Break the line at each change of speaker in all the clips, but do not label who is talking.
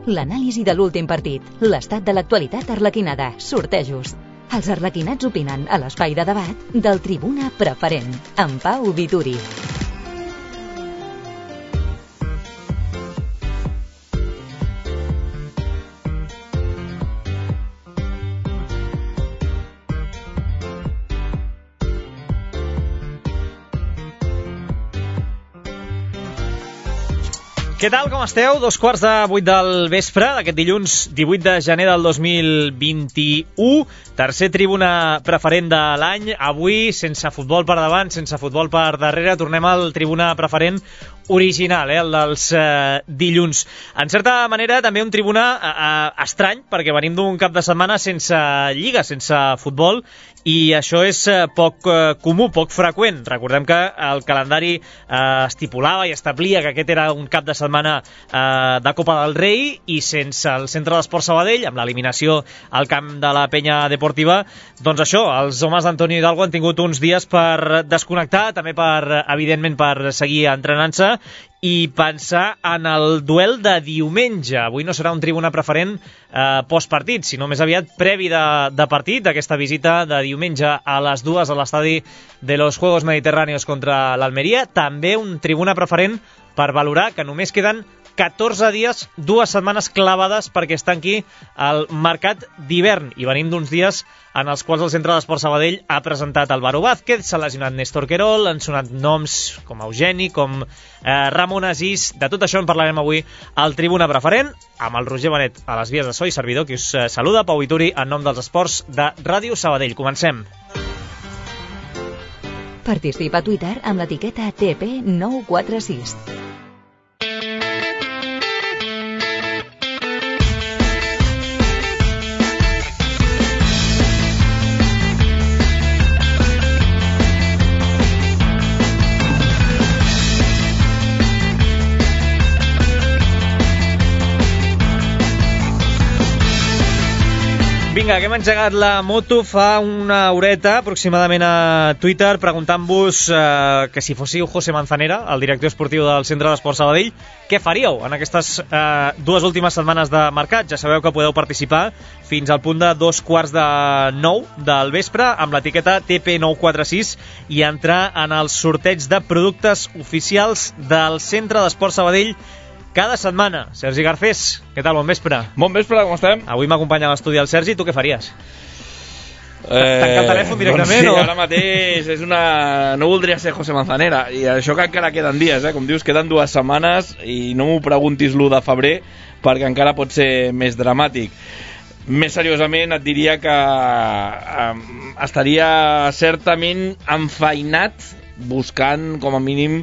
l'anàlisi de l'últim partit, l'estat de l'actualitat arlequinada, sortejos. Els arlequinats opinen a l'espai de debat del Tribuna Preferent, amb Pau Vituri.
Què tal, com esteu? 7:45 del vespre d'aquest dilluns 18 de gener del 2021. Tercer Tribuna Preferent de l'any. Avui, sense futbol per davant, sense futbol per darrere, tornem al Tribuna Preferent original, el dels dilluns. En certa manera, també un Tribuna estrany, perquè venim d'un cap de setmana sense lliga, sense futbol, i això és poc comú, poc freqüent. Recordem que el calendari estipulava i establia que aquest era un cap de setmana de Copa del Rei, i sense el Centre d'Esport Sabadell, amb l'eliminació al camp de la Penya Deportiva, doncs això, els homes d'Antonio Hidalgo han tingut uns dies per desconnectar, també evidentment per seguir entrenant-se i pensar en el duel de diumenge. Avui no serà un Tribuna Preferent postpartit, sinó més aviat previ de partit, d'aquesta visita de diumenge a les 2 a l'estadi de los Juegos Mediterráneos contra l'Almeria. També un Tribuna Preferent per valorar que només queden 14 dies, 2 setmanes clavades perquè es tanqui el mercat d'hivern, i venim d'uns dies en els quals el Centre d'Esport Sabadell ha presentat Álvaro Vázquez, s'ha lesionat Néstor Querol, han sonat noms com Eugeni, com Ramon Asís. De tot això en parlarem avui al Tribuna Preferent, amb el Roger Benet a les vies de so i servidor, que us saluda, Pau Vituri, en nom dels esports de Ràdio Sabadell. Comencem.
Participa a Twitter amb l'etiqueta TP946.
Vinga, que hem engegat la moto fa una horeta aproximadament a Twitter, preguntant-vos que si fóssiu José Manzanera, el director esportiu del Centre d'Esport Sabadell, què faríeu en aquestes 2 últimes setmanes de mercat? Ja sabeu que podeu participar fins al punt de 8:45 del vespre amb l'etiqueta TP946 i entrar en els sorteig de productes oficials del Centre d'Esport Sabadell cada setmana. Sergi Garcés, què tal? Bon vespre.
Bon vespre, com estem?
Avui m'acompanya a l'estudi el Sergi. Tu què faries? Tancar el telèfon directament?
Doncs sí,
o?
ara mateix no voldria ser José Manzanera, i això que encara queden dies, com dius, queden 2 setmanes, i no m'ho preguntis l'1 de febrer perquè encara pot ser més dramàtic. Més seriosament et diria que estaria certament enfeinat buscant com a mínim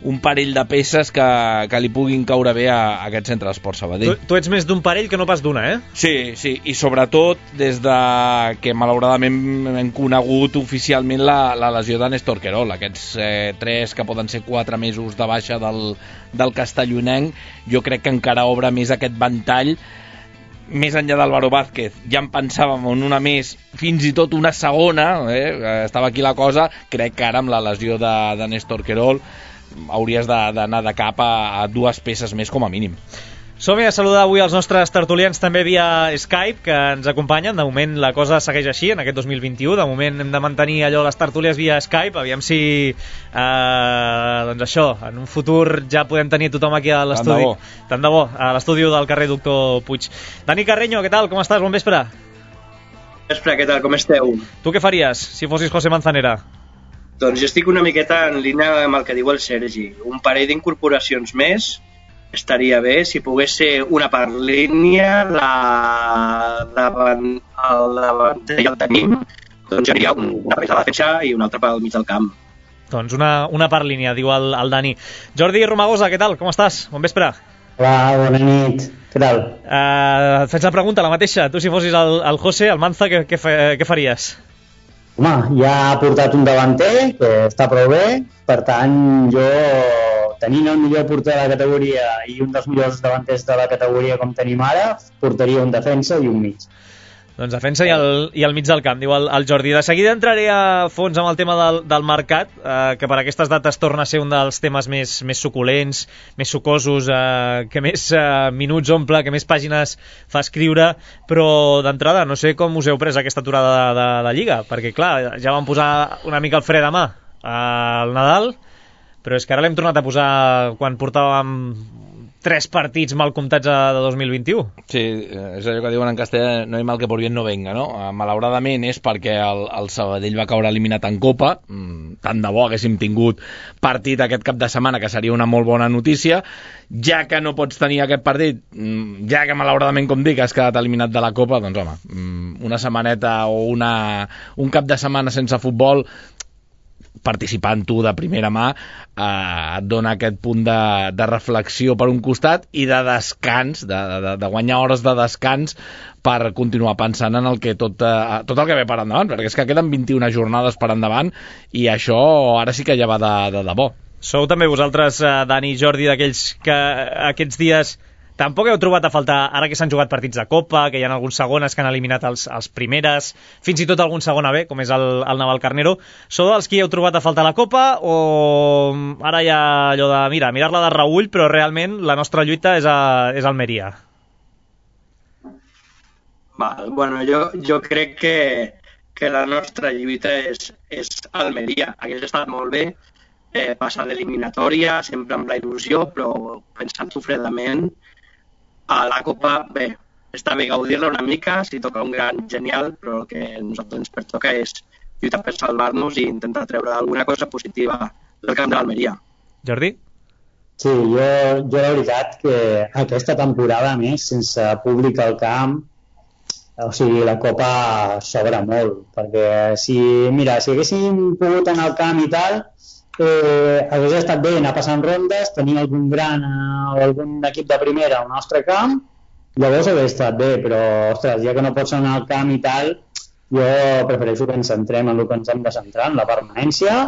un parell de peces que li puguin caure bé a aquest Centre d'Esport Sabadell.
Tu ets més d'un parell que no pas d'una, eh?
Sí, i sobretot des de que malauradament hem conegut oficialment la lesió de Néstor Querol, aquests 3 que poden ser 4 mesos de baixa del castellonenc. Jo crec que encara obre més aquest ventall. Més enllà d'Álvaro Vázquez, ja en pensàvem en una més, fins i tot una segona, estava aquí la cosa. Crec que ara amb la lesió de Néstor Querol hauries d'anar de cap a 2 peces més com a mínim.
Som-hi a saludar avui els nostres tertulians també via Skype, que ens acompanyen. De moment la cosa segueix així en aquest 2021. De moment hem de mantenir allò, les tertúlies via Skype. Aviam si doncs això, en un futur ja podem tenir tothom aquí a l'estudi. Tant de bo, a l'estudi del carrer Doctor Puig. Dani Carreño, què tal? Com estàs? Bon vespre.
Bon vespre, què tal? Com esteu?
Tu què faries si fossis José Manzanera?
Doncs jo estic una miqueta en línia amb el que diu el Sergi. Un parell d'incorporacions més estaria bé. Si pogués ser una per línia, el davanter ja el tenim, doncs seria una per la defensa i una altra pel mig del camp.
Doncs una per línia, diu el Dani. Jordi Romagosa, què tal? Com estàs? Bon vespre.
Hola, bona nit. Què tal?
Et faig la pregunta, la mateixa. Tu, si fossis el José, el Manza, què faries?
Home, ja ha portat un davanter, que està prou bé. Per tant, jo, tenint el millor porter de la categoria i un dels millors davanters de la categoria com tenim ara, portaria un defensa i un mig.
Doncs defensa i al mig del camp, diu el Jordi. De seguida entraré a fons amb el tema del mercat, que per aquestes dates torna a ser un dels temes més suculents, més sucosos, que més minuts omple, que més pàgines fa escriure, però d'entrada no sé com us heu pres aquesta aturada de la Lliga, perquè clar, ja vam posar una mica el fre de mà al Nadal, però és que ara l'hem tornat a posar quan portàvem 3 partits mal comptats de 2021.
Sí, és allò que diuen en castellà, no hi mal que por bien no venga, no? Malauradament és perquè el Sabadell va caure eliminat en Copa, tant de bo haguéssim tingut partit aquest cap de setmana, que seria una molt bona notícia, ja que no pots tenir aquest partit, ja que malauradament, com dic, has quedat eliminat de la Copa, doncs home, una setmaneta o un cap de setmana sense futbol, participant tu de primera mà, et dona aquest punt de reflexió per un costat i de descans, de guanyar hores de descans per continuar pensant en el que tot el que ve per endavant, perquè és que queden 21 jornades per endavant i això ara sí que ja va de debò.
Sou també vosaltres, Dani i Jordi, d'aquells que aquests dies tampoc heu trobat a faltar, ara que s'han jugat partits de Copa, que hi ha alguns segones que han eliminat els primeres, fins i tot algun segona B, com és el Navalcarnero. Sou dels qui heu trobat a faltar la Copa o ara hi ha allò de mirar-la de reull, però realment la nostra lluita és Almeria?
Bueno, jo crec que la nostra lluita és Almeria. Hagués estat molt bé passar l'eliminatòria, sempre amb la il·lusió, però pensant-ho fredament, a la Copa, bé, està bé gaudir-la una mica, si toca un gran genial, però el que a nosaltres ens pertoca és lluitar per salvar-nos i intentar treure alguna cosa positiva del camp de l'Almeria.
Jordi?
Sí, jo la veritat que aquesta temporada, a més, sense públic al camp, o sigui, la Copa s'obre molt, perquè si haguéssim pogut anar al camp i tal, hagués estat bé anar passant rondes, tenir algun gran o algun equip de primera al nostre camp, llavors hauria estat bé, però ostres, ja que no pots anar al camp i tal, jo prefereixo que ens centrem en el que ens hem de centrar, en la permanència,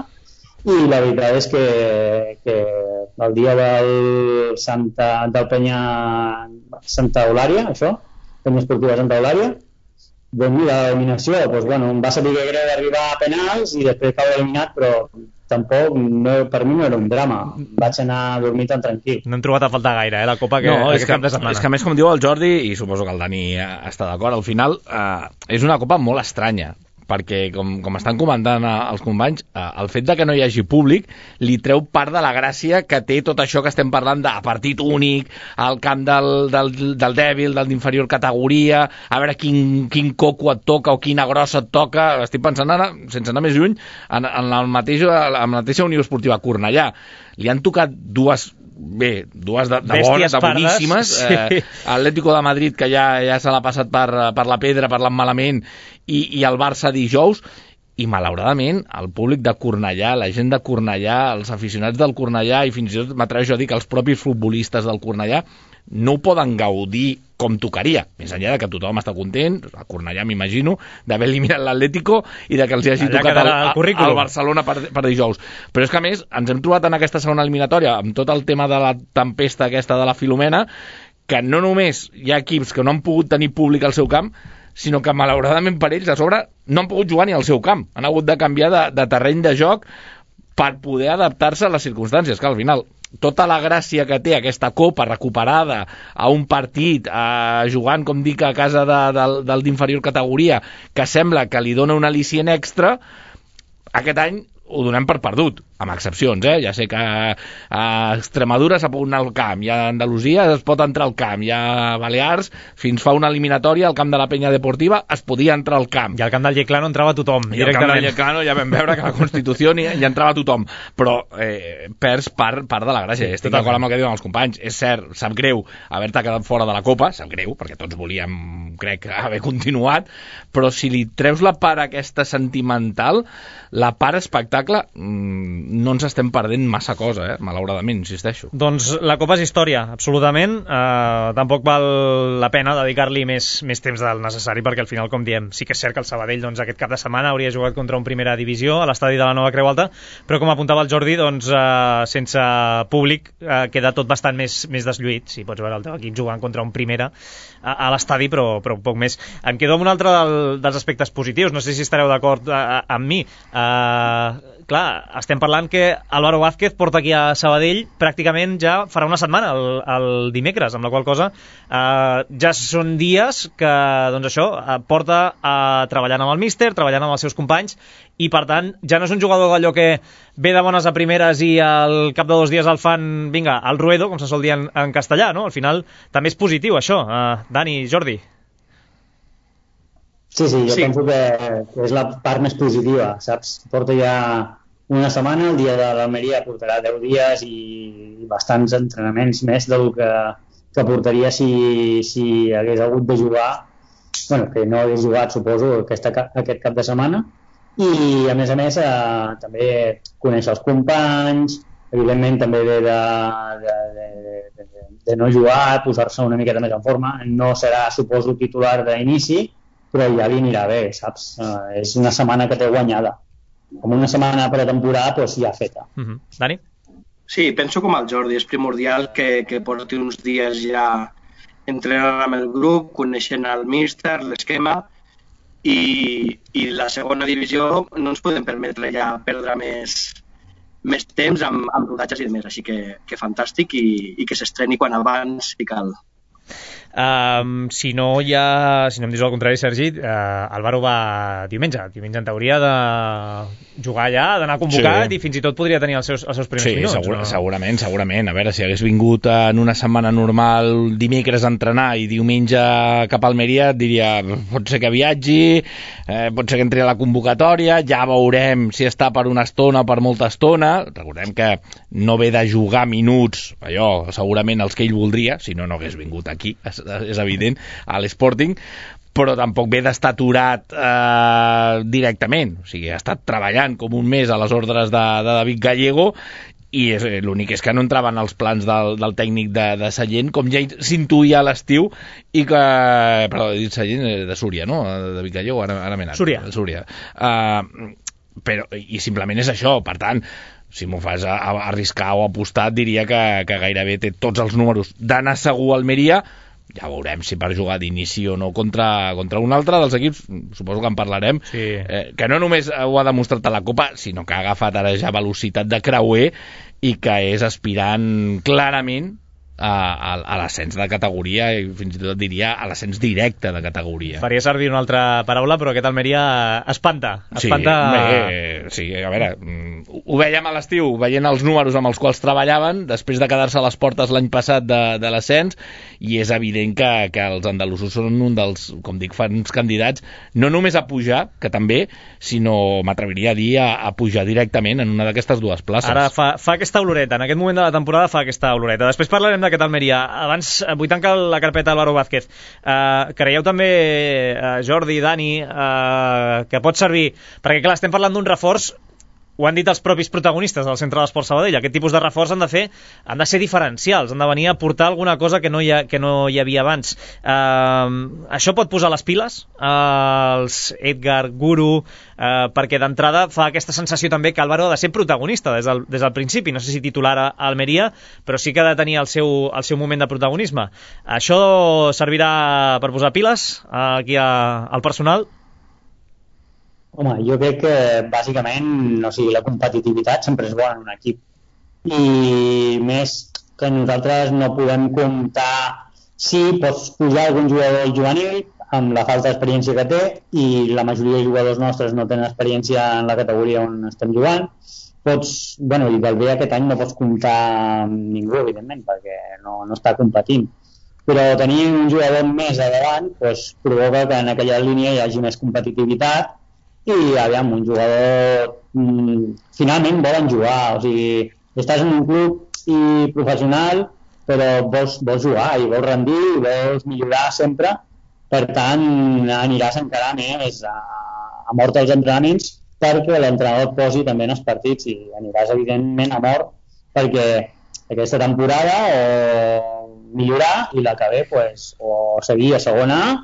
i la veritat és que el dia del Penya Santa Eulària, això, Penya Esportiva Santa Eulària, doncs mira, l'eliminació, doncs bueno, em va saber greu d'arribar a penals i després cau eliminat, però tampoc, per mi no era un drama. Vaig anar a dormir tan tranquil.
No hem trobat a faltar gaire, la Copa aquest cap de setmana.
És que a més, com diu el Jordi, i suposo que el Dani està d'acord, al final és una Copa molt estranya, perquè com estan comentant els companys, el fet de que no hi hagi públic li treu part de la gràcia que té tot això que estem parlant de partit únic, al camp del dèbil, del d'inferior categoria, a veure quin coco et toca o quina grossa et toca. Estic pensant ara, sense anar més lluny, en la mateixa Unió Esportiva Cornellà. Li han tocat dues de bones, de boníssimes, sí. Atlético de Madrid, que ja se l'ha passat per la pedra parlant malament, i el Barça dijous, i malauradament el públic de Cornellà, la gent de Cornellà, els aficionats del Cornellà, i fins i tot m'atreveixo a dir que els propis futbolistes del Cornellà no ho poden gaudir com tocaria, més enllà de que tothom està content, a Cornellà m'imagino, d'haver eliminat l'Atlético i de que els hagi tocat el Barcelona per dijous. Però és que a més ens hem trobat en aquesta segona eliminatòria amb tot el tema de la tempesta aquesta de la Filomena, que no només hi ha equips que no han pogut tenir públic al seu camp, sinó que malauradament per ells a sobre no han pogut jugar ni al seu camp, han hagut de canviar de terreny de joc per poder adaptar-se a les circumstàncies, que al final tota la gràcia que té aquesta Copa recuperada a un partit, jugant, com dic, a casa del d'inferior categoria, que sembla que li dona un al·licient extra, aquest any ho donem per perdut, amb excepcions, ja sé que a Extremadura s'ha pogut anar al camp, i a Andalusia es pot entrar al camp, i a Balears, fins fa una eliminatòria al camp de la Penya Deportiva es podia entrar al camp.
I al camp del Lleclano entrava tothom,
directament. I al camp del Lleclano ja vam veure que la Constitució hi entrava tothom, però perds part de la gràcia. Estic d'acord amb el que diuen els companys, és cert, sap greu haver-te quedat fora de la Copa, sap greu, perquè tots volíem, crec, haver continuat, però si li treus la part aquesta sentimental, la part espectacle no ens estem perdent massa cosa, malauradament, insisteixo.
Doncs la Copa és història, absolutament. Tampoc val la pena dedicar-li més temps del necessari, perquè al final, com diem, sí que és cert que el Sabadell doncs, aquest cap de setmana hauria jugat contra un primera divisió a l'estadi de la Nova Creu Alta, però com apuntava el Jordi, doncs, sense públic queda tot bastant més deslluït. Sí, pots veure el teu equip jugant contra un primera a l'estadi, però poc més. Em quedo amb un altre dels aspectes positius, no sé si estareu d'acord amb mi. Clar, estem parlant que Álvaro Vázquez porta aquí a Sabadell pràcticament ja farà una setmana, el dimecres, amb la qual cosa ja són dies que doncs això, porta treballant amb el míster, treballant amb els seus companys, i per tant ja no és un jugador d'allò que ve de bones a primeres i al cap de 2 dies el fan, vinga, al ruedo, com se sol dir en castellà, no? Al final també és positiu això. Dani, Jordi.
Sí, jo penso que és la part més positiva, saps? Porta ja una setmana, el dia de l'Almeria portarà 10 dies i bastants entrenaments més del que portaria si hagués hagut de jugar, bueno, que no hagués jugat, suposo, aquest cap de setmana. I, a més, també conèixer els companys, evidentment també ve de no jugar, posar-se una miqueta més en forma. No serà, suposo, titular d'inici, però ja li anirà bé, saps? És una setmana que té guanyada. Com una setmana pretemporada, doncs ja feta.
Dani?
Sí, penso com el Jordi, és primordial que porti uns dies ja entrenant amb el grup, coneixent el míster, l'esquema, i la segona divisió no ens podem permetre ja perdre més temps amb rodatges i demés, així que fantàstic i que s'estreni quan abans si cal.
Si no em dius el contrari, Sergi, Álvaro va diumenge en teoria de jugar allà, d'anar convocat, i fins i tot podria tenir els seus primers minuts.
Sí, segurament. A veure, si hagués vingut en una setmana normal dimecres a entrenar i diumenge cap a Almeria, et diria, pot ser que viatgi, pot ser que entri a la convocatòria, ja veurem si està per una estona o per molta estona. Recordem que no ve de jugar minuts, allò, segurament els que ell voldria, si no hagués vingut aquí, és evident, a l'Sporting, però tampoc ve d'estar aturat directament. O sigui, ha estat treballant com un mes a les ordres de David Gallego, i l'únic és que no entraven els plans del tècnic de Sallent, com ja s'intuïa a l'estiu, i que... Perdó, he dit Sallent, de Súria, no? David Gallego, ara m'he anat. Súria. I simplement és això, per tant, si m'ho fas arriscar o apostar, diria que gairebé té tots els números d'anar segur a Almeria. Ja veurem si per jugar d'inici o no contra un altre dels equips, suposo que en parlarem, sí. Que no només ho ha demostrat a la Copa, sinó que ha agafat ara ja velocitat de creuer i que és aspirant clarament a l'ascens de categoria, i fins i tot diria a l'ascens directe de categoria.
Faria servir una altra paraula, però aquest Almeria espanta.
Sí, a veure, ho vèiem a l'estiu, veient els números amb els quals treballaven, després de quedar-se a les portes l'any passat de l'ascens, i és evident que els andalusos són un dels, com dic, fans candidats, no només a pujar, que també, sinó, m'atreviria a dir, a pujar directament en una d'aquestes dues places.
Ara fa aquesta oloreta, en aquest moment de la temporada fa aquesta oloreta. Després parlarem d'aquest Almeria. Abans vull tancar la carpeta Álvaro Vázquez. Creieu també, Jordi, Dani, que pot servir, perquè clar, estem parlant d'un reforç, ho han dit els propis protagonistes del Centre d'Esport Sabadell, aquest tipus de reforç han de ser diferencials, han de venir a portar alguna cosa que no hi havia abans. Això pot posar les piles als Edgar, Guru, perquè d'entrada fa aquesta sensació també que Álvaro ha de ser protagonista des del principi, no sé si titular a Almeria, però sí que ha de tenir el seu moment de protagonisme. Això servirà per posar piles aquí al personal?
Home, jo crec que bàsicament, la competitivitat sempre és bona en un equip, i més que nosaltres no podem comptar. Sí, pots pujar algun jugador juvenil amb la falta d'experiència que té, i la majoria de jugadors nostres no tenen experiència en la categoria on estem jugant. I del bé aquest any no pots comptar amb ningú, evidentment, perquè no està competint, però tenir un jugador més a davant provoca que en aquella línia hi hagi més competitivitat. I aviam, un jugador finalment volen jugar, o sigui, estàs en un club professional, però vols jugar i vols rendir i vols millorar sempre, per tant aniràs encara més a mort als entrenaments, perquè l'entrenador et posi també en els partits i aniràs evidentment a mort perquè aquesta temporada o millorar i la que ve pues, o seguir a segona A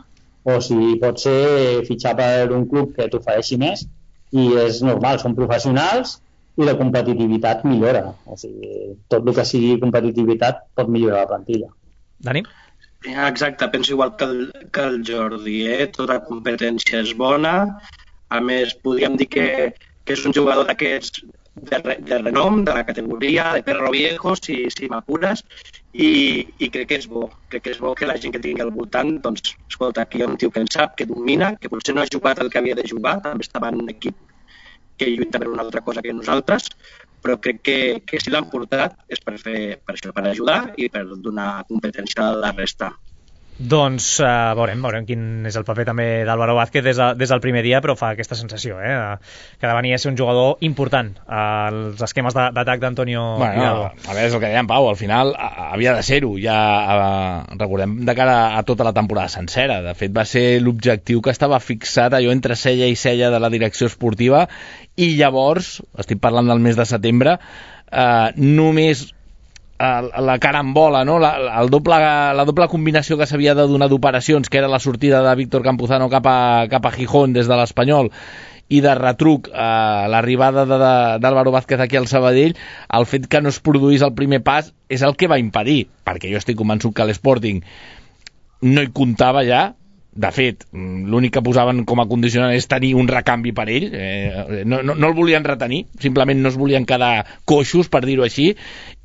o si pot ser fitxar per un club que t'ofereixi més i és normal, són professionals i la competitivitat millora, o sigui, tot el que sigui competitivitat pot millorar la plantilla.
Dani?
Exacte, penso igual que el Jordi, tota competència és bona, a més podríem dir que és un jugador d'aquests de renom, de la categoria, de perro viejo, si m'apures, i crec que és bo. Crec que és bo que la gent que tingui al voltant, doncs, escolta, aquí hi ha un tio que en sap, que domina, que potser no ha jugat el que havia de jugar, també estava en un equip que lluita per una altra cosa que nosaltres, però crec que si l'han portat és per això, per ajudar i per donar competència a la resta.
Doncs veurem quin és el paper també d'Álvaro Vázquez des del primer dia, però fa aquesta sensació, que ha de venir a ser un jugador important als esquemes d'atac d'Antonio Hidalgo.
A veure, és el que deia en Pau, al final havia de ser-ho, ja recordem de cara a tota la temporada sencera. De fet, va ser l'objectiu que estava fixat allò entre cella i cella de la direcció esportiva, i llavors, estic parlant del mes de setembre, només la carambola, no? la doble combinació que s'havia de donar d'operacions, que era la sortida de Víctor Campuzano cap a Gijón des de l'Espanyol i de retruc l'arribada d'Álvaro Vázquez aquí al Sabadell, el fet que no es produís el primer pas és el que va impedir, perquè jo estic convençut que l'Sporting no hi comptava ja. De fet, l'únic que posaven com a condicionant és tenir un recanvi per ell, no el volien retenir, simplement no es volien quedar coixos, per dir-ho així,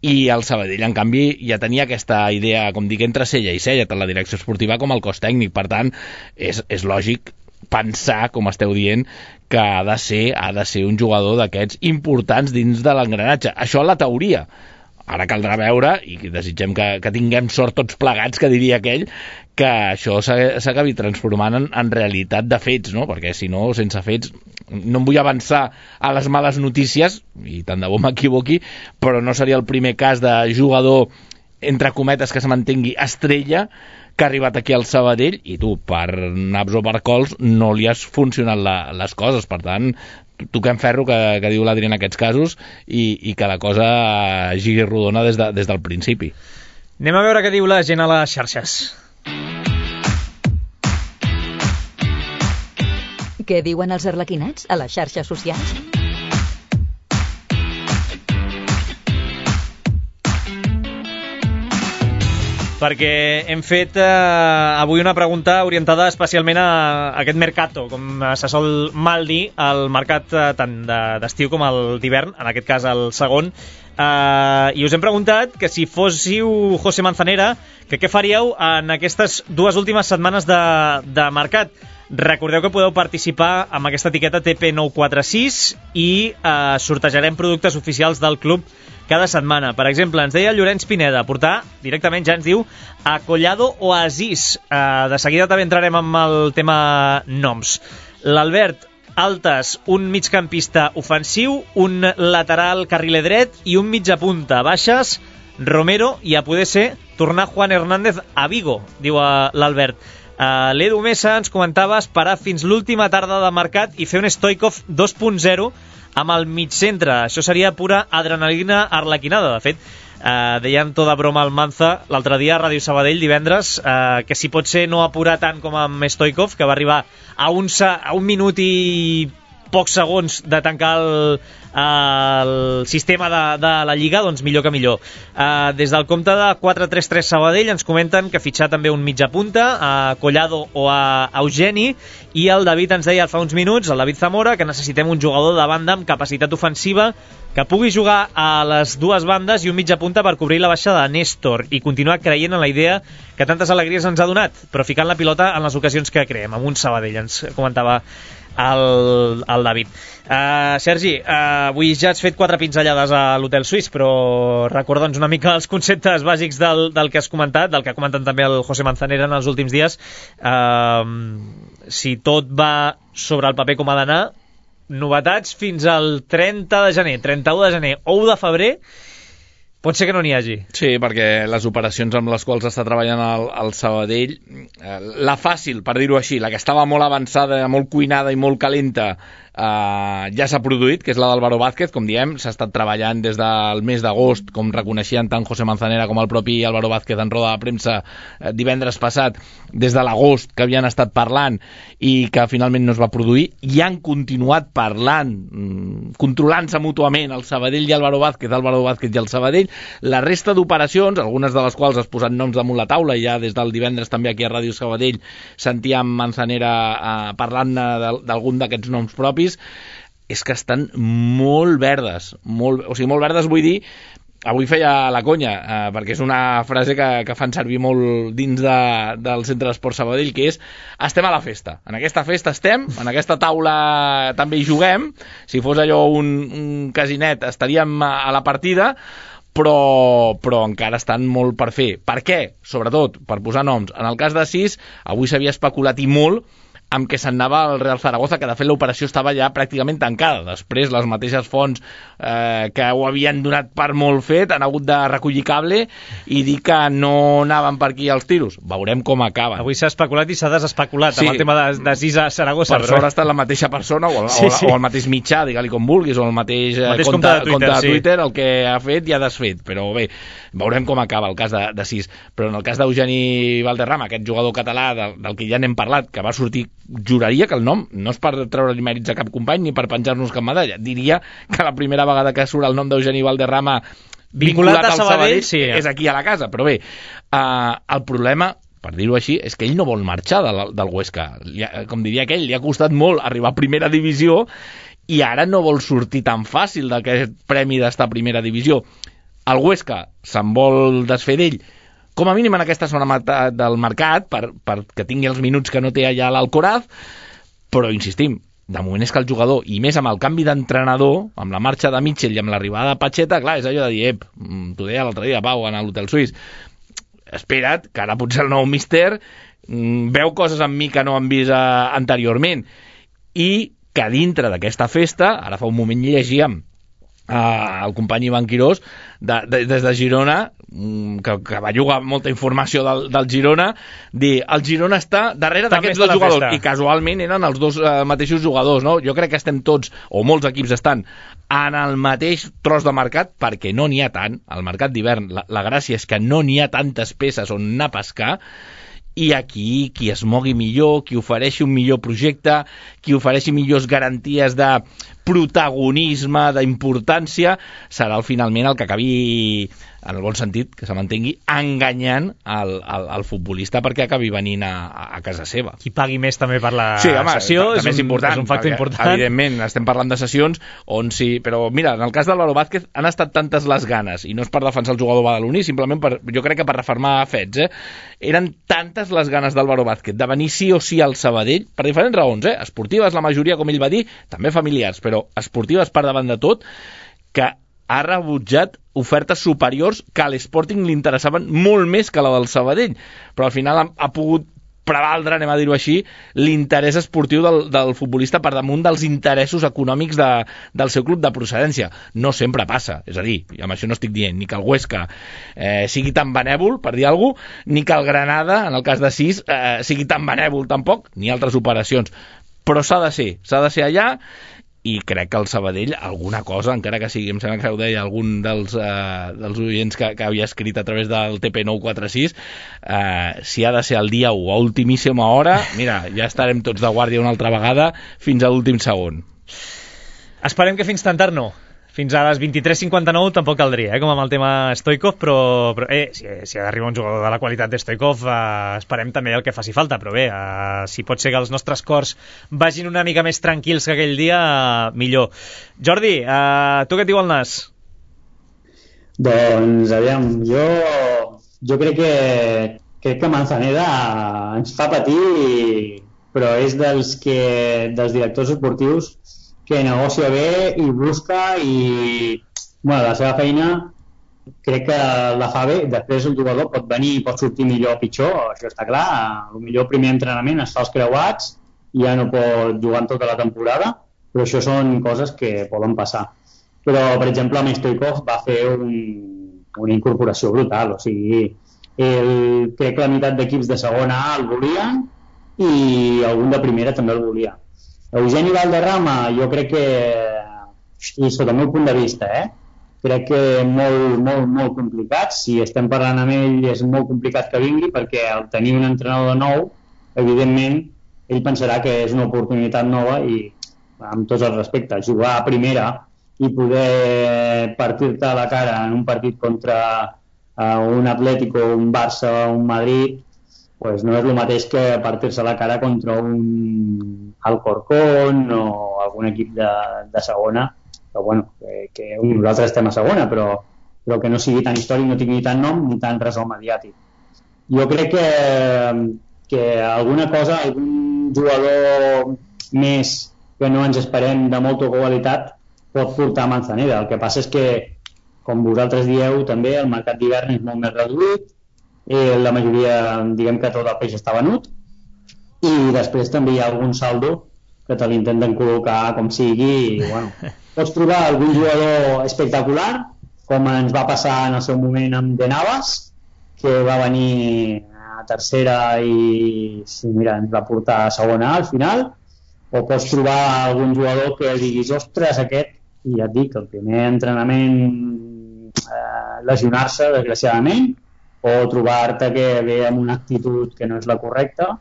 i el Sabadell, en canvi, ja tenia aquesta idea, com dic, entre cella i cella, tant la direcció esportiva com el cos tècnic. Per tant, és lògic pensar, com esteu dient, que ha de ser un jugador d'aquests importants dins de l'engranatge. Això en la teoria. Ara caldrà veure, i desitgem que tinguem sort tots plegats, que diria aquell, que això s'acabi transformant en realitat de fets, no? Perquè si no, sense fets, no em vull avançar a les males notícies, i tant de bo m'equivoqui, però no seria el primer cas de jugador, entre cometes, que se mantengui estrella, que ha arribat aquí al Sabadell, i tu, per naps o per cols, no li has funcionat les coses. Per tant, toquem ferro, que diu l'Adri en aquests casos, i que la cosa giri rodona des del principi.
Anem a veure què diu la gent a les xarxes.
Què diuen els arlequinats a les xarxes socials?
Perquè hem fet avui una pregunta orientada especialment a aquest mercato, com se sol mal dir, el mercat tant d'estiu com el d'hivern, en aquest cas el segon, i us hem preguntat que si fóssiu José Manzanera, que què faríeu en aquestes dues últimes setmanes de mercat. Recordeu que podeu participar amb aquesta etiqueta TP946 i sortejarem productes oficials del club cada setmana. Per exemple, ens deia Llorenç Pineda, portar directament, ja ens diu, a Collado Oasis. De seguida també entrarem amb el tema noms. L'Albert, altes, un migcampista ofensiu, un lateral carriler dret i un mitja punta. Baixes, Romero, i a poder ser tornar Juan Hernández a Vigo, diu l'Albert. L'Edu Mesa ens comentava esperar fins l'última tarda de mercat i fer un Stoikov 2.0 amb el mig centre. Això seria pura adrenalina arlequinada. De fet, deien tota broma al Manza l'altre dia a Ràdio Sabadell divendres, que si pot ser no apurar tant com amb Stoikov, que va arribar a un minut i pocs segons de tancar el sistema de la Lliga, doncs millor que millor. Des del compte de 433 Sabadell ens comenten que fitxar també un mitja punta, a Collado o a Eugeni, i el David ens deia fa uns minuts, el David Zamora, que necessitem un jugador de banda amb capacitat ofensiva que pugui jugar a les dues bandes i un mitja punta per cobrir la baixa de Néstor i continuar creient en la idea que tantes alegries ens ha donat, però ficant la pilota en les ocasions que creem, amb un Sabadell, ens comentava el David. Sergi, avui ja has fet 4 pinzellades a l'Hotel Suís, però recorda'ns una mica els conceptes bàsics del que has comentat, del que ha comentat també el José Manzanera en els últims dies. Si tot va sobre el paper com ha d'anar, novetats fins al 30 de gener, 31 de gener o 1 de febrer, pot ser que no n'hi hagi.
Sí, perquè les operacions amb les quals està treballant el Sabadell, la fàcil, per dir-ho així, la que estava molt avançada, molt cuinada i molt calenta, ja s'ha produït, que és la d'Álvaro Vázquez, com diem, s'ha estat treballant des del mes d'agost, com reconeixien tant José Manzanera com el propi Álvaro Vázquez en roda de premsa divendres passat, des de l'agost que havien estat parlant i que finalment no es va produir, i han continuat parlant, controlant-se mútuament el Sabadell i Álvaro Vázquez i el Sabadell. La resta d'operacions, algunes de les quals has posat noms damunt la taula, i ja des del divendres també aquí a Ràdio Sabadell sentíem Manzanera parlant d'algun d'aquests noms propis, és que estan molt verdes, molt verdes vull dir, avui feia la conya, perquè és una frase que fan servir molt dins del Centre d'Esport Sabadell, que és: estem a la festa, en aquesta festa estem, en aquesta taula també hi juguem, si fos allò un casinet estaríem a la partida, però encara estan molt per fer. Per què? Sobretot, per posar noms. En el cas de Sis, avui s'havia especulat i molt amb què se'n anava al Real Zaragoza, que de fet l'operació estava ja pràcticament tancada. Després les mateixes fonts que ho havien donat per molt fet han hagut de recollir cable i dir que no anaven per aquí els tiros. Veurem com acaben.
Avui s'ha especulat i s'ha desespeculat amb el tema de Sis a Saragossa.
Per sort ha estat la mateixa persona o el mateix mitjà, digue-li com vulguis, o el mateix compte de Twitter el que ha fet i ha desfet. Però bé, veurem com acaba el cas de Sis. Però en el cas d'Eugeni Valderrama, aquest jugador català del que ja n'hem parlat, que va sortir, juraria que el nom no és per treure-li mèrits a cap company ni per penjar-nos cap medalla, diria que la primera vegada que surt el nom d'Eugeni Valderrama vinculat al Sabadell sí, és aquí a la casa. Però bé, el problema, per dir-ho així, és que ell no vol marxar del Huesca. Com diria aquell, li ha costat molt arribar a primera divisió i ara no vol sortir tan fàcil d'aquest premi d'estar a primera divisió. El Huesca se'n vol desfer d'ell, com a mínim en aquesta zona del mercat, perquè tingui els minuts que no té allà a l'Alcoraz, però insistim, de moment és que el jugador, i més amb el canvi d'entrenador, amb la marxa de Mitchell i amb l'arribada de Pacheta, clar, és allò de dir, t'ho deia l'altre dia, Pau, a l'Hotel Suís, espera't, que ara potser el nou míster veu coses en mi que no han vist anteriorment, i que dintre d'aquesta festa, ara fa un moment llegíem el company Ivan Quirós des de Girona, que va jugar molta informació del Girona, dir, el Girona està darrere d'aquests dos jugadors, i casualment eren els dos mateixos jugadors, no? Jo crec que estem tots, o molts equips estan en el mateix tros de mercat, perquè no n'hi ha tant, al mercat d'hivern la gràcia és que no n'hi ha tantes peces on anar a pescar, i aquí qui es mogui millor, qui ofereixi un millor projecte, qui ofereixi millors garanties de protagonisme, d'importància, serà finalment el que acabi, en el bon sentit, que se m'entengui, enganyant el futbolista perquè acabi venint a casa seva.
Qui pagui més també per la
sessió
és un factor important.
Evidentment, estem parlant de sessions on sí, però mira, en el cas d'Álvaro Vázquez han estat tantes les ganes, i no és per defensar el jugador badaloní, simplement jo crec que per refermar fets, eren tantes les ganes d'Álvaro Vázquez de venir sí o sí al Sabadell, per diferents raons, esportives, la majoria, com ell va dir, també familiars, però esportives per davant de tot, que ha rebutjat ofertes superiors que a l'Sporting li interessaven molt més que la del Sabadell, però al final ha pogut prevaldre, anem a dir-ho així, l'interès esportiu del futbolista per damunt dels interessos econòmics del seu club de procedència. No sempre passa, és a dir, i amb això no estic dient ni que el Huesca sigui tan benèvol, per dir alguna cosa, ni que el Granada, en el cas de Sis, sigui tan benèvol tampoc, ni altres operacions, però s'ha de ser allà, i crec que el Sabadell alguna cosa, encara que sigui, em sembla que ho deia algun dels oients que havia escrit a través del TP946, si ha de ser el dia 1 a ultimíssima hora, mira, ja estarem tots de guàrdia una altra vegada fins a l'últim segon.
Esperem que fins tan tard no. Fins a les 23:59 tampoc caldria, com amb el tema Stoikov, però si ha d'arribar un jugador de la qualitat de Stoikov, esperem també el que faci falta, però bé, si pot ser que els nostres cors vagin una mica més tranquils que aquell dia, millor. Jordi, tu què et diu el nas?
Doncs, aviam, jo crec que Manzanera ens fa patir, però és dels directors esportius que negocia bé i busca i, bueno, la seva feina crec que la fa bé. Després el jugador pot venir i pot sortir millor o pitjor, això està clar. Potser el primer entrenament es fa els creuats i ja no pot jugar en tota la temporada, però això són coses que poden passar. Però, per exemple, amb Stoikov va fer una incorporació brutal, o sigui, crec que la meitat d'equips de segona A el volien i algun de primera també el volia. Eugeni Valderrama, jo crec que, i sota el meu punt de vista, crec que molt complicat. Si estem parlant amb ell és molt complicat que vingui, perquè al tenir un entrenador nou, evidentment, ell pensarà que és una oportunitat nova i, amb tots els respectes, jugar a primera i poder partir-te a la cara en un partit contra un Atlético, un Barça, un Madrid, pues no és el mateix que partir-se la cara contra un Alcorcón o algun equip de segona, que, bueno, que nosaltres estem a segona, però que no sigui tan històric, no tingui tant nom ni tant ressò mediàtic. Jo crec que alguna cosa, algun jugador més que no ens esperem de molta qualitat pot portar a Manzanera. El que passa és que, com vosaltres dieu, també el mercat d'hivern és molt més reduït, la majoria, diguem que tot el peix està venut, i després també hi ha algun saldo que te l'intenten col·locar com sigui, i bueno, pots trobar algun jugador espectacular, com ens va passar en el seu moment amb De Navas, que va venir a tercera i mira, ens va portar a segona al final, o pots trobar algun jugador que diguis, ostres, aquest, i ja et dic, el primer entrenament lesionar-se, desgraciadament, o trobar-te que ve amb una actitud que no és la correcta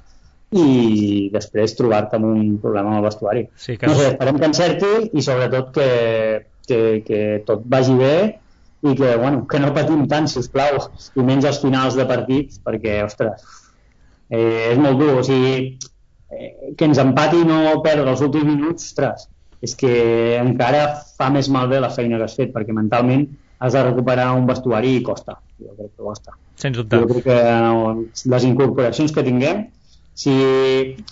i després trobar-te amb un problema amb el vestuari. Sí, que... No sé, esperem que encerti i sobretot que tot vagi bé i que, bueno, que no patim tant, sisplau, i menys als finals de partits, perquè, ostres, és molt dur. O sigui, que ens empati i no perdre els últims minuts, ostres, és que encara fa més malbé la feina que has fet, perquè mentalment has de recuperar un vestuari i costa. Jo crec que costa.
Sens dubte.
Jo crec que les incorporacions que tinguem, si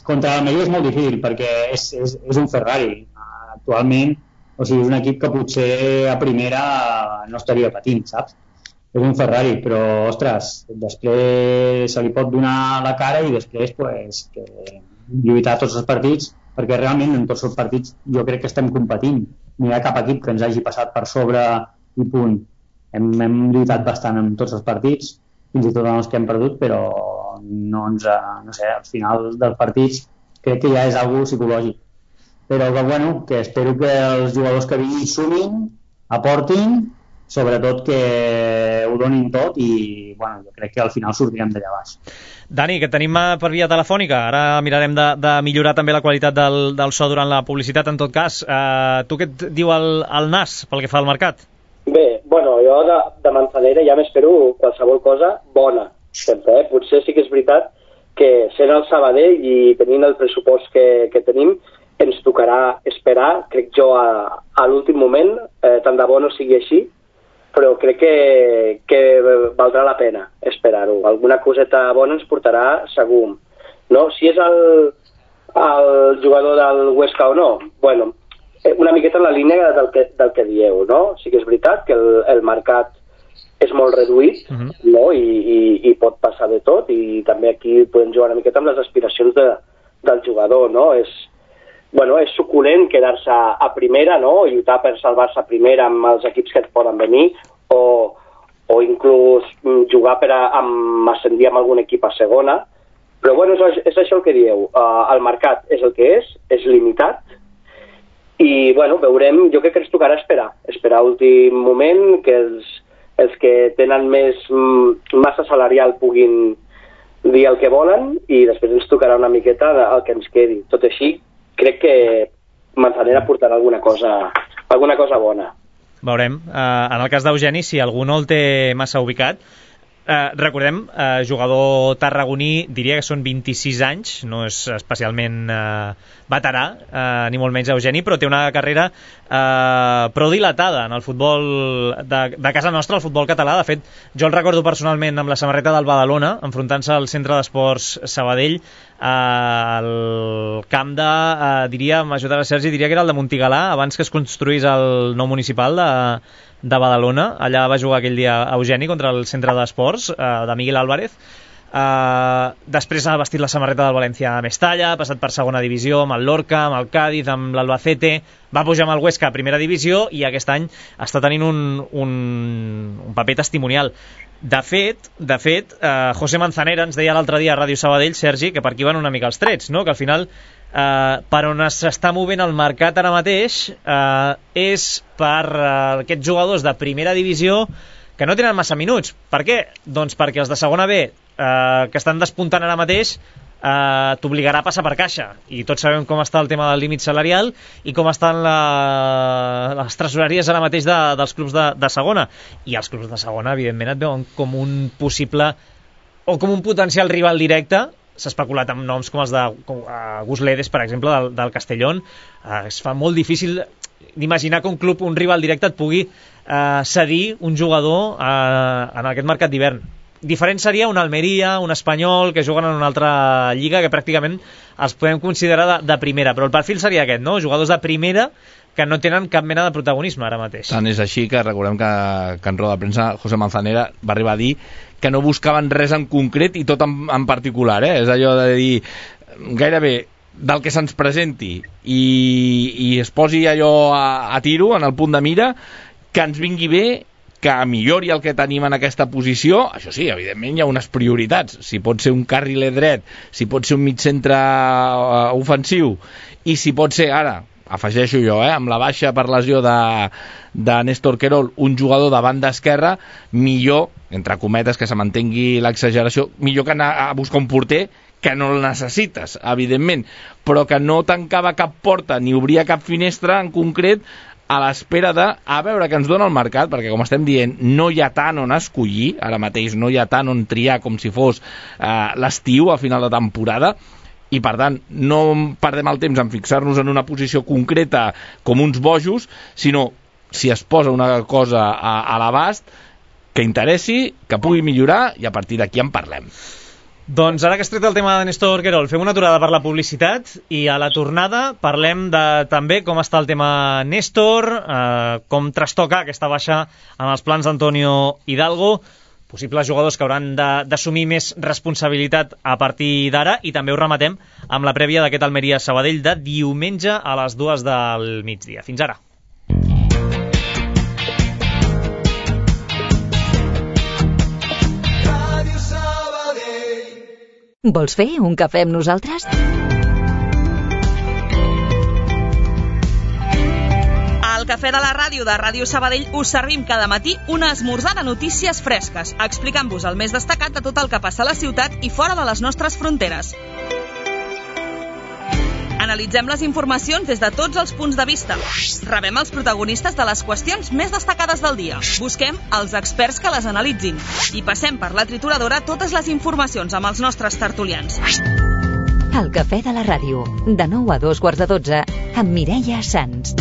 contra l'Almeria és molt difícil, perquè és un Ferrari. Actualment, o sigui, és un equip que potser a primera no estaria patint, saps? És un Ferrari, però, ostres, després se li pot donar la cara i després, pues, que lluitar tots els partits, perquè realment en tots els partits jo crec que estem competint. No hi ha cap equip que ens hagi passat per sobre i punt. Hem lluitat bastant en tots els partits, fins i tot en els que hem perdut, però no sé, al final dels partits crec que ja és algo psicològic. Però que, bueno, que espero que els jugadors que vinguin sumin, aportin, sobretot que ho donin tot i, bueno, jo crec que al final sortirem d'allà baix.
Dani, que tenim per via telefònica, ara mirarem de millorar també la qualitat del so durant la publicitat, en tot cas. Tu què et diu el NAS pel que fa al mercat?
Bé, bueno, jo de Manzanera ja m'espero qualsevol cosa bona, sempre, Potser sí que és veritat que sent el Sabadell i tenint el pressupost que tenim, ens tocarà esperar, crec jo, a l'últim moment, tant de bo no sigui així, però crec que valdrà la pena esperar-ho. Alguna coseta bona ens portarà segur. No? Si és el jugador del Huesca o no, bueno, una miqueta en la línia del que dieu, no? Sí que és veritat que el mercat és molt reduït, no? I pot passar de tot, i també aquí podem jugar una miqueta amb les aspiracions del jugador, no? És suculent quedar-se a primera, no? I lluitar per salvar-se a primera amb els equips que et poden venir, o inclús jugar per ascendir amb algun equip a segona, però bueno, és això el que dieu. El mercat és el que és limitat, i bueno, veurem. Jo crec que ens tocarà esperar últim moment, que els que tenen més massa salarial puguin dir el que volen, i després ens tocarà una miqueta el que ens quedi. Tot així, crec que Manzanera portarà alguna cosa bona.
Veurem. En el cas d'Eugeni, si algú no el té massa ubicat, recordem, jugador tarragoní, diria que són 26 anys, no és especialment veterà, ni molt menys Eugeni, però té una carrera prou dilatada en el futbol de casa nostra, el futbol català. De fet, jo el recordo personalment amb la samarreta del Badalona, enfrontant-se al Centre d'Esports Sabadell, al camp diria, m'ajudarà Sergi, diria que era el de Montigalà, abans que es construís el nou municipal de Badalona. Allà va jugar aquell dia Eugeni contra el Centre d'Esports de Miguel Álvarez. Després ha vestit la samarreta del València a Mestalla, ha passat per segona divisió amb el Lorca, amb el Cádiz, amb l'Albacete, va pujar amb el Huesca a primera divisió i aquest any està tenint un paper testimonial. De fet, José Manzanera ens deia l'altre dia a Ràdio Sabadell, Sergi, que per aquí van una mica els trets, no? Que al final per on s'està movent el mercat ara mateix és per aquests jugadors de primera divisió que no tenen massa minuts. Per què? Doncs perquè els de segona B que estan despuntant ara mateix t'obligarà a passar per caixa, i tots sabem com està el tema del límit salarial i com estan les tresoreries ara mateix dels clubs de segona, i els clubs de segona evidentment et veuen com un possible o com un potencial rival directe. S'ha especulat amb noms com els de Gus Ledes, per exemple, del Castellón. Es fa molt difícil d'imaginar que un rival directe et pugui cedir un jugador en aquest mercat d'hivern. Diferent seria un Almeria, un Espanyol, que juguen en una altra lliga que pràcticament els podem considerar de primera, però el perfil seria aquest, no? Jugadors de primera que no tenen cap mena de protagonisme ara mateix.
Tant és així que recordem que en roda de premsa José Manzanera va arribar a dir que no buscaven res en concret i tot en particular, és allò de dir gairebé del que se'ns presenti i es posi allò a tiro en el punt de mira, que ens vingui bé, que millori el que tenim en aquesta posició. Això sí, evidentment hi ha unes prioritats. Si pot ser un carriler dret, si pot ser un mig-centre ofensiu, i si pot ser, ara, afegeixo jo, amb la baixa per lesió de Néstor Querol, un jugador de banda esquerra, millor, entre cometes, que se mantengui l'exageració, millor que anar a buscar un porter que no el necessites, evidentment, però que no tancava cap porta ni obria cap finestra en concret, a l'espera a veure què ens dona el mercat, perquè com estem dient no hi ha tant on escollir, ara mateix no hi ha tant on triar com si fos l'estiu a final de temporada, i per tant no perdem el temps en fixar-nos en una posició concreta com uns bojos, sinó si es posa una cosa a l'abast que interessi, que pugui millorar, i a partir d'aquí en parlem.
Doncs ara que has tret el tema de Néstor Querol, fem una aturada per la publicitat i a la tornada parlem també com està el tema Néstor, com trastoca aquesta baixa en els plans d'Antonio Hidalgo, possibles jugadors que hauran d'assumir més responsabilitat a partir d'ara, i també ho rematem amb la prèvia d'aquest Almeria-Sabadell de diumenge a les 2 del migdia. Fins ara.
Vols fer un cafè amb nosaltres?
Al Cafè de la Ràdio de Ràdio Sabadell us servim cada matí una esmorzar de notícies fresques, explicant-vos el més destacat de tot el que passa a la ciutat i fora de les nostres fronteres. Analitzem les informacions des de tots els punts de vista. Rebem els protagonistes de les qüestions més destacades del dia. Busquem els experts que les analitzin. I passem per la trituradora totes les informacions amb els nostres tertulians.
El Cafè de la Ràdio, de 9 a 2:15, amb Mireia Sans.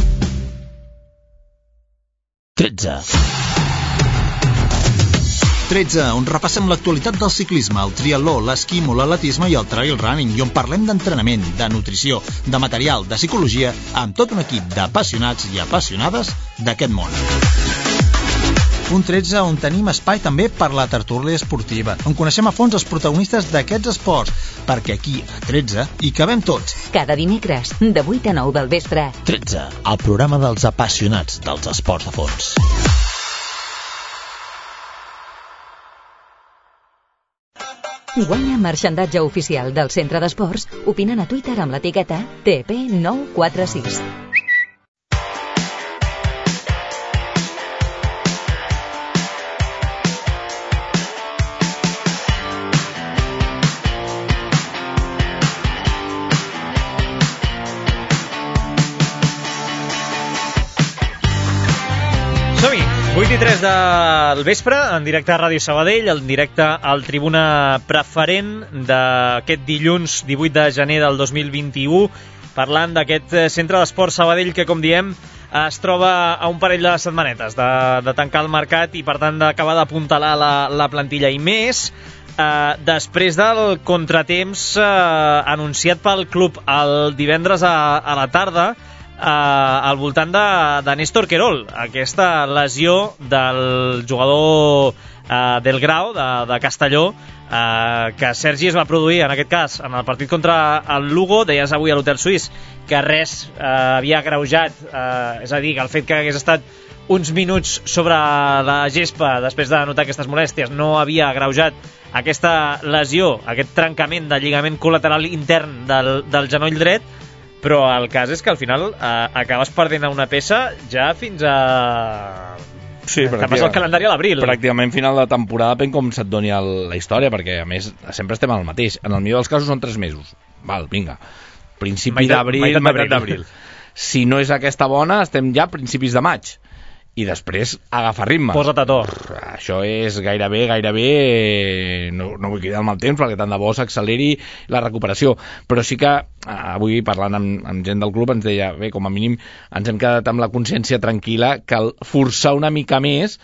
13, on repassem l'actualitat del ciclisme, el triatló, l'esquimo, l'atletisme i el trail running, i on parlem d'entrenament, de nutrició, de material, de psicologia, amb tot un equip d'apassionats i apassionades d'aquest món. Un 13 on tenim espai també per la tertúlia esportiva, on coneixem a fons els protagonistes d'aquests esports, perquè aquí, a 13, hi cabem tots.
Cada dimecres, de 8 a 9 del vespre.
13, el programa dels apassionats dels esports de fons.
Guanya marxandatge oficial del Centre d'Esports opinant a Twitter amb l'etiqueta TP946.
Som-hi! 8:03 del vespre, en directe a Ràdio Sabadell, en directe al Tribuna Preferent d'aquest dilluns 18 de gener del 2021, parlant d'aquest centre d'esport Sabadell que, com diem, es troba a un parell de setmanetes de tancar el mercat i, per tant, d'acabar d'apuntalar la plantilla, i més després del contratemps anunciat pel club el divendres a la tarda al voltant de Néstor Querol, aquesta lesió del jugador del Grau de Castelló, que Sergi es va produir en aquest cas en el partit contra el Lugo. Deies avui a l'Hotel Suís que res havia agreujat, és a dir, que el fet que hagués estat uns minuts sobre la gespa després de notar aquestes molèsties, no havia agreujat aquesta lesió, aquest trencament de lligament col·lateral intern del genoll dret, però el cas és que al final acabes perdent una peça ja fins a...
Sí,
que passa el calendari a l'abril.
Pràcticament final de temporada, depèn com se't doni la història, perquè a més sempre estem al mateix. En el millor dels casos són 3 mesos. Val, vinga. Principi d'abril, meitat d'abril. Si no és aquesta bona, estem ja a principis de maig. I després agafar ritme.
Posa't a to.
Això és gairebé, no vull cridar el mal temps perquè tant de bo s'acceleri la recuperació, però sí que avui parlant amb gent del club ens deia, bé, com a mínim ens hem quedat amb la consciència tranquil·la que el forçar una mica més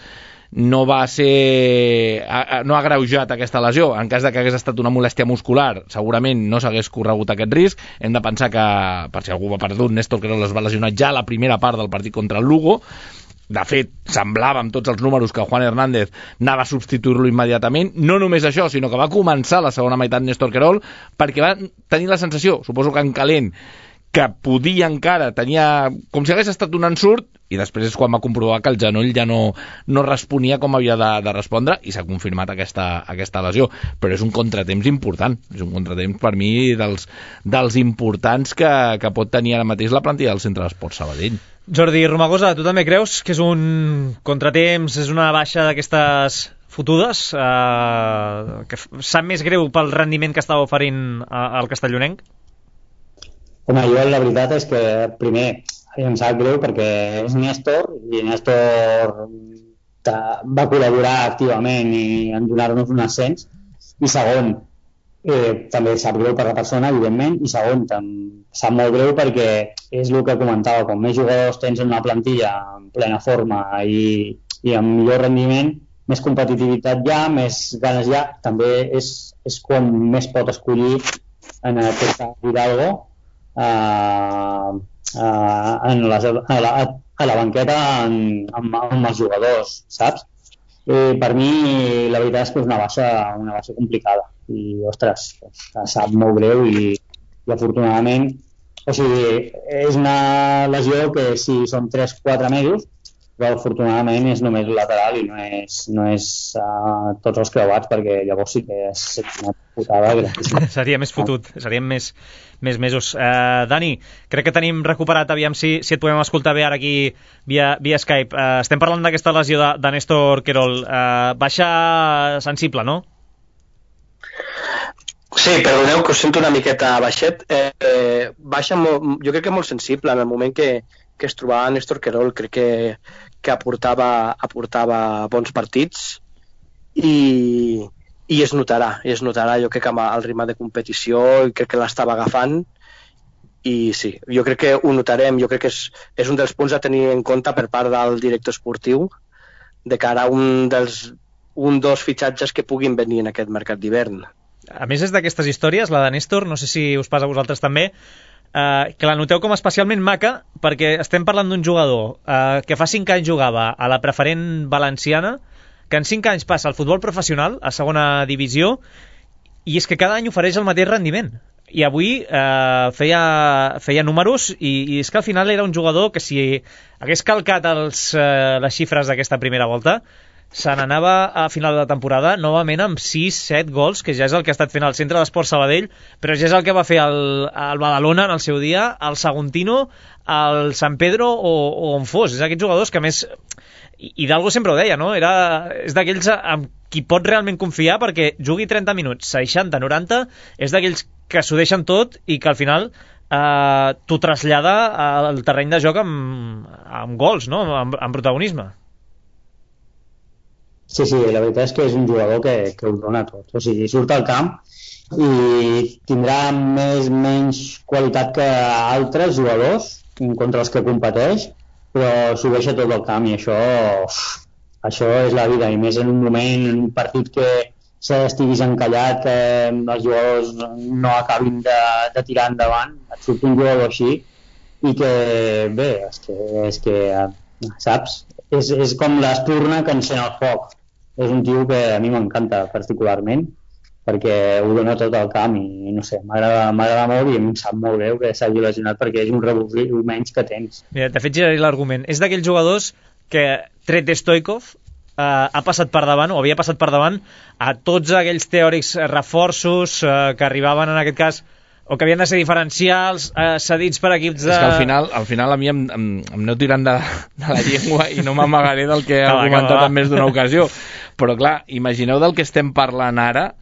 no va ser... no ha agreujat aquesta lesió. En cas de que hagués estat una molèstia muscular, segurament no s'hagués corregut aquest risc. Hem de pensar que, per si algú va perdut, Néstor Querol es va lesionar ja a la primera part del partit contra el Lugo. De fet, semblava amb tots els números que Juan Hernández anava a substituir-lo immediatament. No només això, sinó que va començar la segona meitat Néstor Querol perquè va tenir la sensació, suposo que en calent, que podia encara, tenia com si hagués estat un ensurt, i després és quan va comprovar que el genoll ja no responia com havia de respondre, i s'ha confirmat aquesta lesió. Però és un contratemps important, és un contratemps per mi dels importants que pot tenir ara mateix la plantilla del Centre d'Esports Sabadell.
Jordi Romagosa, tu també creus que és un contratemps, és una baixa d'aquestes fotudes, que sap més greu pel rendiment que estava oferint el castellonenc?
Home, jo la veritat és que primer em sap greu perquè és Néstor i Néstor va col·laborar activament en donar-nos un ascens, i segon, també sap greu per la persona, evidentment, i segon, sap molt greu perquè és el que comentava, com més jugadors tens en una plantilla en plena forma i amb millor rendiment, més competitivitat hi ha, més ganes hi ha, també és quan més pot escollir en aquest Hidalgo a la banqueta amb els jugadors, saps? Per mi la veritat és que és una baixa complicada i, ostres, sap molt greu i afortunadament, o sigui, és una lesió que sí, són 3-4 mesos, però afortunadament és només lateral i no és tots els creuats, perquè llavors sí que és una putada gravíssima.
Seria més fotut, serien més mesos. Dani, crec que tenim recuperat, aviam si et podem escoltar bé ara aquí via Skype. Estem parlant d'aquesta lesió de Néstor Querol. Baixa sensible, no?
Sí, perdoneu que us sento una miqueta baixet. Baixa jo crec que molt sensible en el moment que es trobava Néstor Querol. Crec que aportava bons partits i es notarà, jo crec que amb el ritme de competició crec que l'estava agafant i sí, jo crec que ho notarem. Jo crec que és un dels punts a tenir en compte per part del director esportiu de cara a dos fitxatges que puguin venir en aquest mercat d'hivern.
A més, és d'aquestes històries, la de Néstor, no sé si us passa a vosaltres també, que la noteu com especialment maca, perquè estem parlant d'un jugador que fa 5 anys jugava a la preferent valenciana, que en 5 anys passa al futbol professional, a segona divisió, i és que cada any ofereix el mateix rendiment. I avui feia números, i és que al final era un jugador que si hagués calcat les xifres d'aquesta primera volta, se n'anava a final de temporada novament amb 6-7 gols, que ja és el que ha estat fent el Centre d'Esports Sabadell, però ja és el que va fer el Badalona en el seu dia, el Saguntino, el Sant Pedro o on fos. És aquests jugadors que més... Hidalgo sempre ho deia, no? És d'aquells amb qui pot realment confiar perquè jugui 30 minuts, 60, 90, és d'aquells que s'ho deixen tot i que al final t'ho trasllada al terreny de joc amb gols, no? Amb protagonisme.
Sí, la veritat és que és un jugador que ho dona tot. O sigui, surt al camp i tindrà menys qualitat que altres jugadors contra els que competeix, però s'ho deixa tot al camp i això és la vida. I més en un moment, en un partit que estiguis encallat, que els jugadors no acabin de tirar endavant, et surt un jugador així i que, bé, és que saps? És com l'espurna que encén el foc. És un tio que a mi m'encanta particularment perquè ho dona tot al camp i no sé, m'agrada molt i em sap molt greu que s'hagi lesionat perquè és un revulsiu menys que tens.
Mira, de fet giraré l'argument. És d'aquells jugadors que tret Stoikov ha passat per davant, o havia passat per davant, a tots aquells teòrics reforços que arribaven en aquest cas, o que havien de ser diferencials, cedits per equips de...
És que al final a mi em aneu tirant de la llengua i no m'amagaré del que he argumentat en més d'una ocasió. Però clar, imagineu del que estem parlant ara,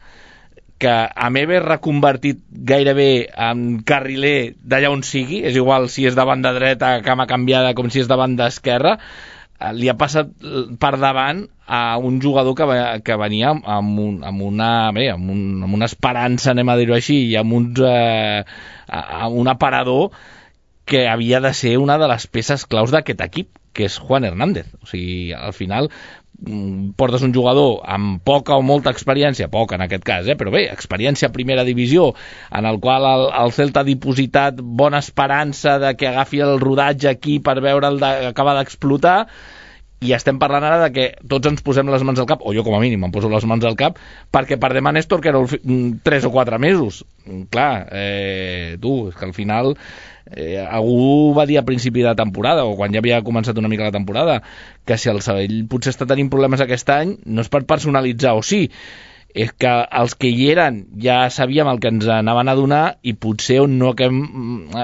que a m'he reconvertit gairebé en carriler d'allà on sigui, és igual si és de banda dreta, cama canviada, com si és de banda esquerra, li ha passat per davant a un jugador que venia amb una esperança, anem a dir-ho així, i amb un aparador que havia de ser una de les peces claus d'aquest equip, que és Juan Hernández. O sigui, al final portes un jugador amb poca o molta experiència, poca en aquest cas, però bé, experiència a primera divisió, en el qual el Celta ha dipositat bona esperança de que agafi el rodatge aquí per veure el que acaba d'explotar, i estem parlant ara de que tots ens posem les mans al cap, o jo com a mínim em poso les mans al cap, perquè perdem a Néstor, que era 3 o 4 mesos. Clar, és que al final algú va dir a principi de temporada, o quan ja havia començat una mica la temporada, que si el Sabadell potser està tenint problemes aquest any, no és per personalitzar o sí, és que els que hi eren ja sabíem el que ens anaven a donar, i potser on no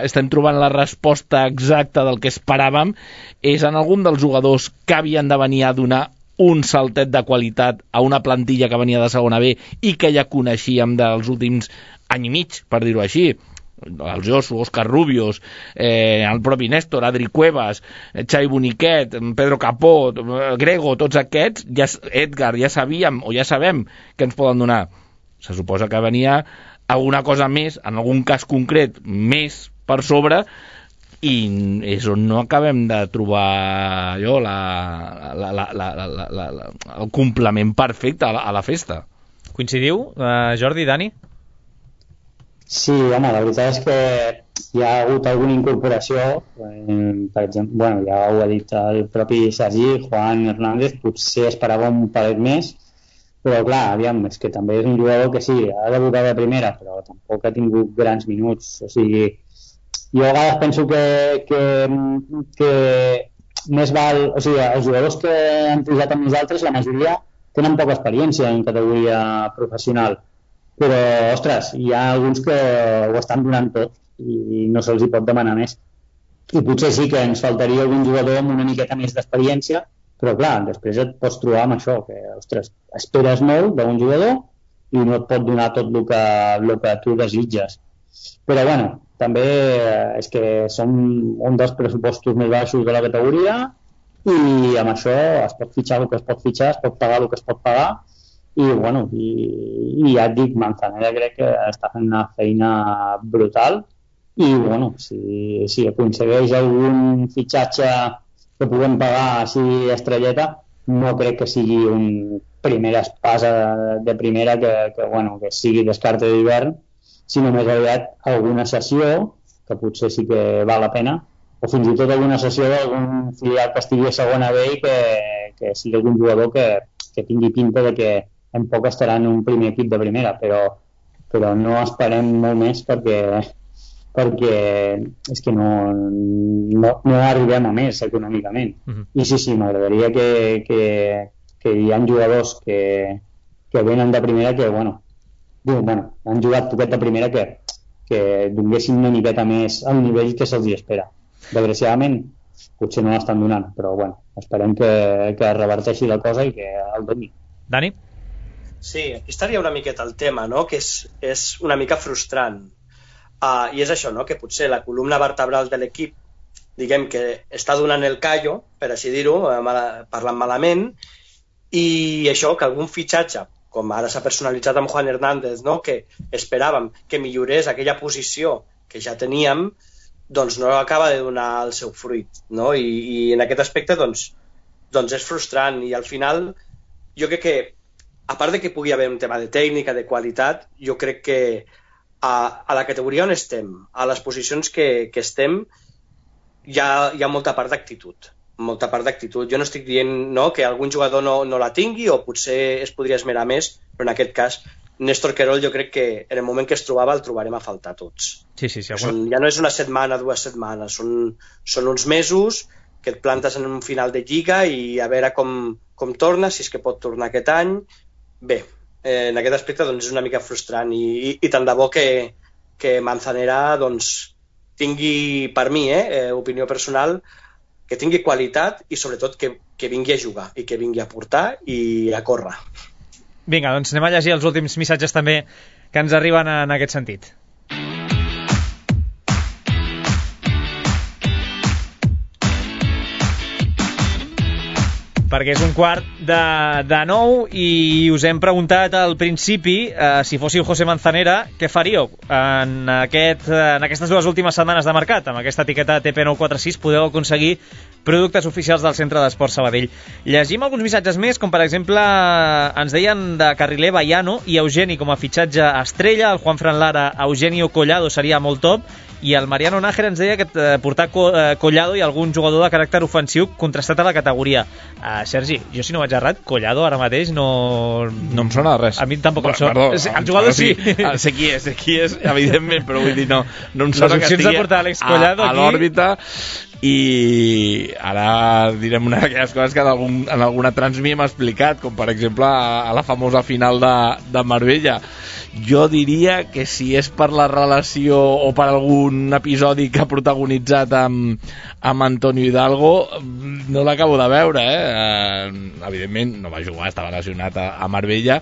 estem trobant la resposta exacta del que esperàvem és en algun dels jugadors que havien de venir a donar un saltet de qualitat a una plantilla que venia de segona B i que ja coneixíem dels últims any i mig, per dir-ho així. El Josu, Òscar Rubios, el propi Néstor, Adri Cuevas, Xavi Boniquet, Pedro Capó, Grego, tots aquests, Edgar, ja sabíem o ja sabem que ens poden donar. Se suposa que venia alguna cosa més, en algun cas concret, més per sobre, i és on no acabem de trobar el complement perfecte a la festa.
Coincidiu, Jordi, Dani?
Sí, home, la veritat és que hi ha hagut alguna incorporació, per exemple, ja ho ha dit el propi Sergi, Juan Hernández, potser esperava un palet més, però clar, aviam, és que també és un jugador que sí, ha debutat de primera, però tampoc ha tingut grans minuts, o sigui, jo a vegades penso que més val, o sigui, els jugadors que han pujat amb nosaltres, la majoria tenen poca experiència en categoria professional, però, ostres, hi ha alguns que ho estan donant tot i no se'ls hi pot demanar més. I potser sí que ens faltaria algun jugador amb una miqueta més d'experiència, però clar, després et pots trobar amb això, que, ostres, esperes molt d'un jugador i no et pot donar tot el que tu desitges. Però, bueno, també és que som un dels pressupostos més baixos de la categoria i amb això es pot fitxar el que es pot fitxar, es pot pagar el que es pot pagar, i bueno, i ja et dic, Manzanera crec que està fent una feina brutal i bueno, si aconsegueix algun fitxatge que puguem pagar així estrelleta, no crec que sigui un primera espasa de primera que sigui descarte d'hivern, sinó més aviat alguna sessió que potser sí que val la pena, o fins i tot alguna sessió d'algun filial que estigui a segona B i que sigui algun jugador que tingui pinta de que en poc estarà en un primer equip de primera, però no esperem molt més perquè és que no arribem a més econòmicament. I sí, m'agradaria que hi ha jugadors que venen de primera que, han jugat poquet de primera que donguessin una miqueta més al nivell que se'ls espera. Desgraciadament, potser no l'estan donant, però esperem que reverteixi la cosa i que el doni.
Dani?
Sí, aquí estaria una miqueta el tema, no? Que és una mica frustrant. I és això, no? Que potser la columna vertebral de l'equip, diguem que està donant el callo, per així dir-ho, parlant malament, i això, que algun fitxatge, com ara s'ha personalitzat amb Juan Hernández, no? Que esperàvem que millorés aquella posició que ja teníem, doncs no acaba de donar el seu fruit, no? I en aquest aspecte, doncs és frustrant, i al final jo crec que a part de que pugui haver un tema de tècnica, de qualitat, jo crec que a la categoria on estem, a les posicions que estem, hi ha molta part d'actitud. Molta part d'actitud. Jo no estic dient que algun jugador no la tingui o potser es podria esmerar més, però en aquest cas, Néstor Querol jo crec que en el moment que es trobava el trobarem a faltar tots.
Sí.
Ja no és una setmana, 2 setmanes, són uns mesos que et plantes en un final de Lliga i a veure com torna, si és que pot tornar aquest any. Bé, en aquest aspecte doncs, és una mica frustrant i tant de bo que Manzanera doncs, tingui, per mi, opinió personal, que tingui qualitat i sobretot que vingui a jugar i que vingui a portar i a córrer.
Vinga, doncs anem a llegir els últims missatges també que ens arriben en aquest sentit. Perquè és un quart de 9 i us hem preguntat al principi si fóssiu José Manzanera, què faríeu en aquestes dues últimes setmanes de mercat. Amb aquesta etiqueta TP946 podeu aconseguir productes oficials del Centre d'Esport Sabadell. Llegim alguns missatges més, com per exemple ens deien de carriler Baiano i Eugeni com a fitxatge estrella, el Juanfran Lara, Eugenio Collado seria molt top, i el Mariano Nájera ens deia que portar Collado i algun jugador de caràcter ofensiu contrastat a la categoria. Sergi, jo si no vaig errat, Collado ara mateix no
em sona de res.
A mi tampoc em sona. El jugador sí.
Sé qui és, evidentment, però vull dir, no em sona que estigui
de portar Alex Collado
a l'òrbita. I ara direm una d'aquelles coses que en alguna transmi hem explicat, com per exemple a la famosa final de Marbella. Jo diria que si és per la relació o per algun episodi que ha protagonitzat amb Antonio Hidalgo, no l'acabo de veure, evidentment no va jugar, estava lesionat a Marbella,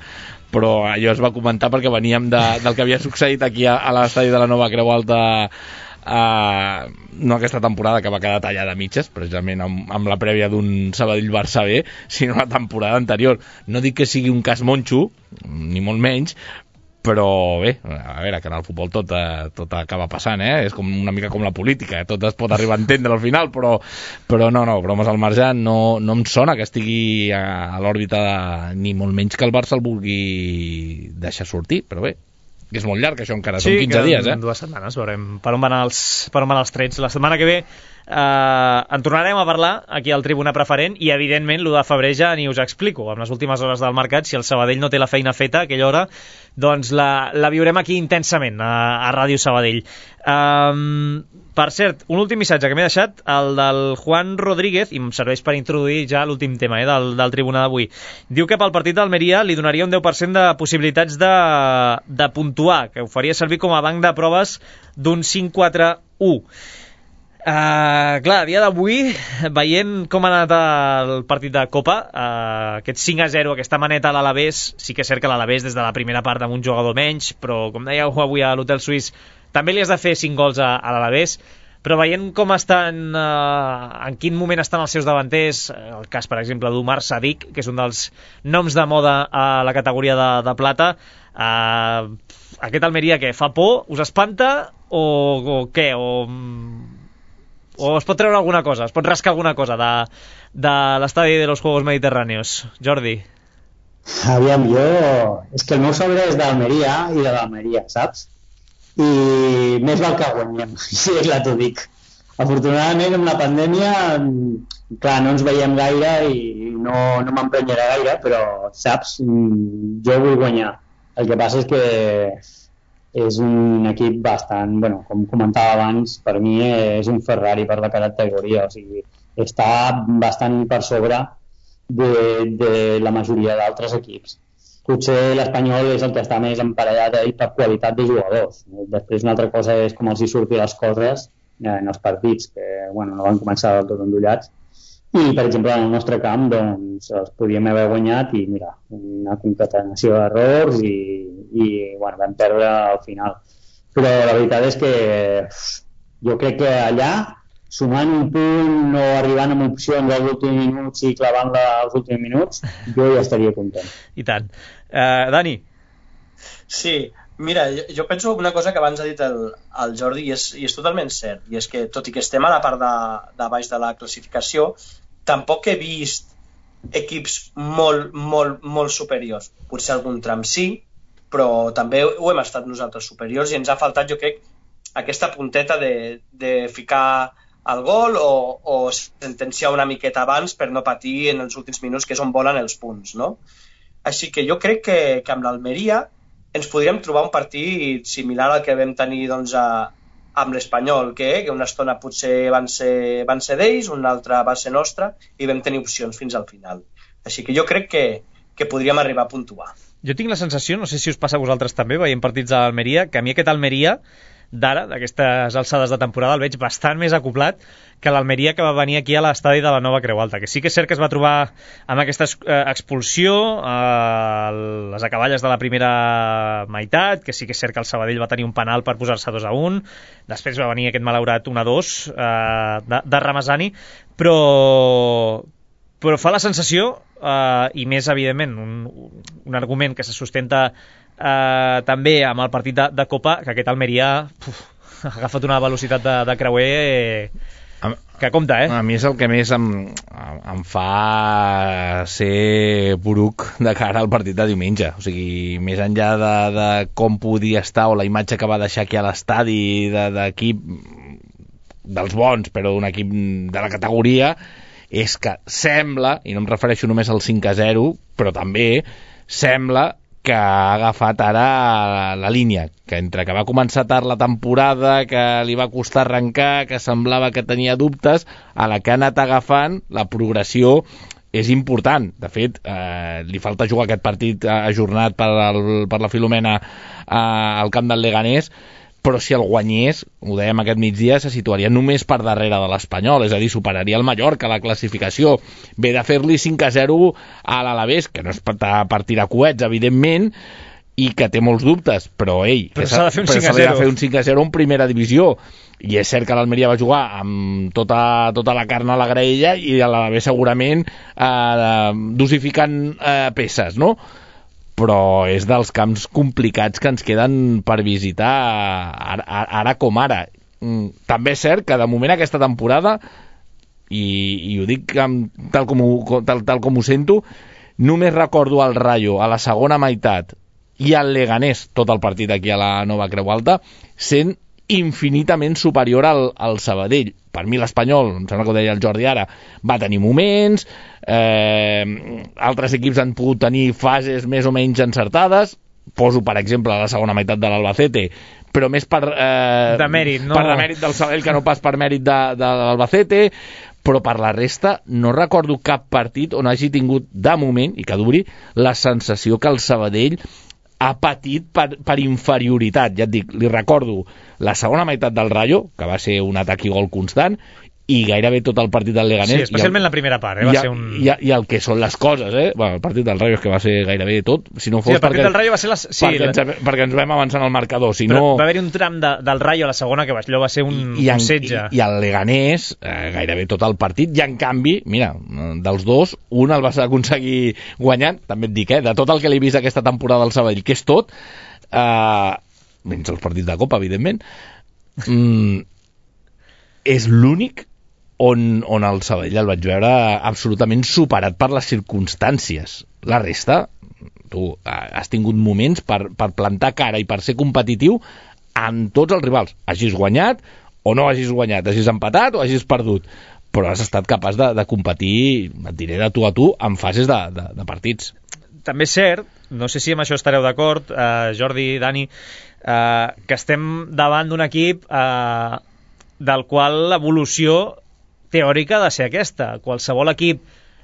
però allò es va comentar perquè veníem del que havia succeït aquí a l'estadi de la Nova Creu Alta, no aquesta temporada que va quedar tallada a mitges, precisament amb la prèvia d'un Sabadell-Barça B, sinó la temporada anterior. No dic que sigui un cas monxo, ni molt menys, però bé, a veure, que en el futbol tot acaba passant, és com una mica com la política, tot es pot arribar a entendre al final, però no, bromes al marge, no em sona que estigui a l'òrbita ni molt menys que el Barça el vulgui deixar sortir, però bé, que és molt llarg això encara, són 15 dies.
Sí, 2 setmanes, veurem per on van els trets. La setmana que ve en tornarem a parlar aquí al Tribuna Preferent i evidentment l'1 de febrer ja ni us explico, amb les últimes hores del mercat, si el Sabadell no té la feina feta a aquella hora, doncs la viurem aquí intensament a Ràdio Sabadell. Per cert, un últim missatge que m'he deixat, el del Juan Rodríguez, i em serveix per introduir ja l'últim tema del Tribuna d'avui. Diu que pel partit d'Almeria li donaria un 10% de possibilitats de puntuar, que ho faria servir com a banc de proves d'un 5-4-1. Clar, a dia d'avui, veient com ha anat el partit de Copa, aquest 5-0, aquesta maneta a l'Alavés, sí que és cert que l'Alavés des de la primera part amb un jugador menys, però com dèieu avui a l'Hotel Suís, també li has de fer 5 gols a l'Alavés, però veient com estan, en quin moment estan els seus davanters, el cas, per exemple, d'Omar Sadik, que és un dels noms de moda a la categoria de plata, aquest Almeria, què, fa por? Us espanta? O què? O es pot treure alguna cosa, es pot rascar alguna cosa de l'estadi de los Juegos Mediterráneos? Jordi?
Aviam, és que el meu sobre és d'Almeria i de l'Almeria, saps? I més val que guanyem, si és la t'ho dic. Afortunadament amb la pandèmia, clar, no ens veiem gaire i no m'emprenyarà gaire, però saps, jo vull guanyar. El que passa és que és un equip bastant, com comentava abans, per mi és un Ferrari per la categoria, o sigui, està bastant per sobre de la majoria d'altres equips. Potser l'Espanyol és el que està més emparellat a ell per qualitat de jugadors. Després una altra cosa és com els hi surtin les coses en els partits, que no van començar del tot endollats. I, per exemple, en el nostre camp doncs, els podíem haver guanyat i, mira, una concatenació d'errors i vam perdre al final. Però la veritat és que jo crec que allà, sumant un punt o arribant amb opcions als últims minuts i clavant-la als últims minuts, jo ja estaria content.
I tant. Dani?
Sí, mira, jo penso una cosa que abans ha dit el Jordi i és totalment cert, i és que tot i que estem a la part de baix de la classificació, tampoc he vist equips molt superiors. Potser algun tram sí, però també ho hem estat nosaltres superiors i ens ha faltat, jo crec, aquesta punteta de ficar el gol o sentenciar una miqueta abans per no patir en els últims minuts, que és on volen els punts, no? Així que jo crec que amb l'Almeria ens podríem trobar un partit similar al que vam tenir doncs, amb l'Espanyol, que una estona potser van ser d'ells, una altra va ser nostra, i vam tenir opcions fins al final. Així que jo crec que podríem arribar a puntuar.
Jo tinc la sensació, no sé si us passa a vosaltres també, veient partits a l'Almeria, que a mi aquest Almeria d'ara, d'aquestes alçades de temporada, el veig bastant més acoplat que l'Almeria que va venir aquí a l'estadi de la Nova Creu Alta, que sí que és cert que es va trobar amb aquesta expulsió a les acaballes de la primera meitat, que sí que és cert que el Sabadell va tenir un penal per posar-se 2-1, després va venir aquest malaurat 1-2 de Ramazani, però fa la sensació, i més evidentment un argument que se sustenta també amb el partit de Copa, que aquest Almeria ha agafat una velocitat de creuer que compta,
A mi és el que més em fa ser poruc de cara al partit de diumenge. O sigui, més enllà de com podia estar o la imatge que va deixar aquí a l'estadi d'equip dels bons, però d'un equip de la categoria, és que sembla, i no em refereixo només al 5-0, però també sembla que ha agafat ara la línia, que entre que va començar tard la temporada, que li va costar arrencar, que semblava que tenia dubtes, a la que ha anat agafant, la progressió és important. De fet, li falta jugar aquest partit ajornat per la Filomena al camp del Leganés, però si el guanyés, ho dèiem aquest migdia, se situaria només per darrere de l'Espanyol, és a dir, superaria el Mallorca a la classificació. Ve de fer-li 5-0 a l'Alavés, que no és per tirar coets, evidentment, i que té molts dubtes, però
s'ha de fer un 5-0.
S'ha de fer un 5-0 en primera divisió, i és cert que l'Almeria va jugar amb tota la carn a la graella i a l'Alavés segurament dosificant peces, no? Però és dels camps complicats que ens queden per visitar ara com ara. També és cert que de moment aquesta temporada, i ho dic tal com ho sento, només recordo el Rayo a la segona meitat i el Leganés, tot el partit aquí a la Nova Creu Alta, sent infinitament superior al Sabadell. Per mi l'Espanyol, em sembla que ho deia el Jordi ara, va tenir moments, altres equips han pogut tenir fases més o menys encertades, poso per exemple la segona meitat de l'Albacete, però més per
demèrit, no?
Per demèrit del Sabadell que no pas per mèrit de l'Albacete, però per la resta no recordo cap partit on hagi tingut de moment, i que duri, la sensació que el Sabadell ha patit per inferioritat. Ja et dic, li recordo la segona meitat del Rayo, que va ser un atac i gol constant, i gairebé tot el partit del Leganés.
Sí, especialment la primera part, va ser un...
I el que són les coses, Bueno, el partit del Rayo és que va ser gairebé tot. Si no fos
el partit del Rayo va ser...
perquè ens vam avançar en el marcador. Si
però
no...
va haver-hi un tram del Rayo a la segona que allò va ser un setge.
I el Leganés, gairebé tot el partit, i en canvi, mira, dels dos, un el vas aconseguir guanyant, també et dic, de tot el que l'he vist aquesta temporada al Sabadell, que és tot, menys els partits de Copa, evidentment, és l'únic on el Sabadell el vaig veure absolutament superat per les circumstàncies. La resta, tu has tingut moments per plantar cara i per ser competitiu amb tots els rivals. Hagis guanyat o no hagis guanyat, hagis empatat o hagis perdut, però has estat capaç de competir, et diré, de tu a tu en fases de partits.
També és cert, no sé si amb això estareu d'acord, Jordi, Dani, que estem davant d'un equip del qual l'evolució teòrica ha de ser aquesta. Qualsevol equip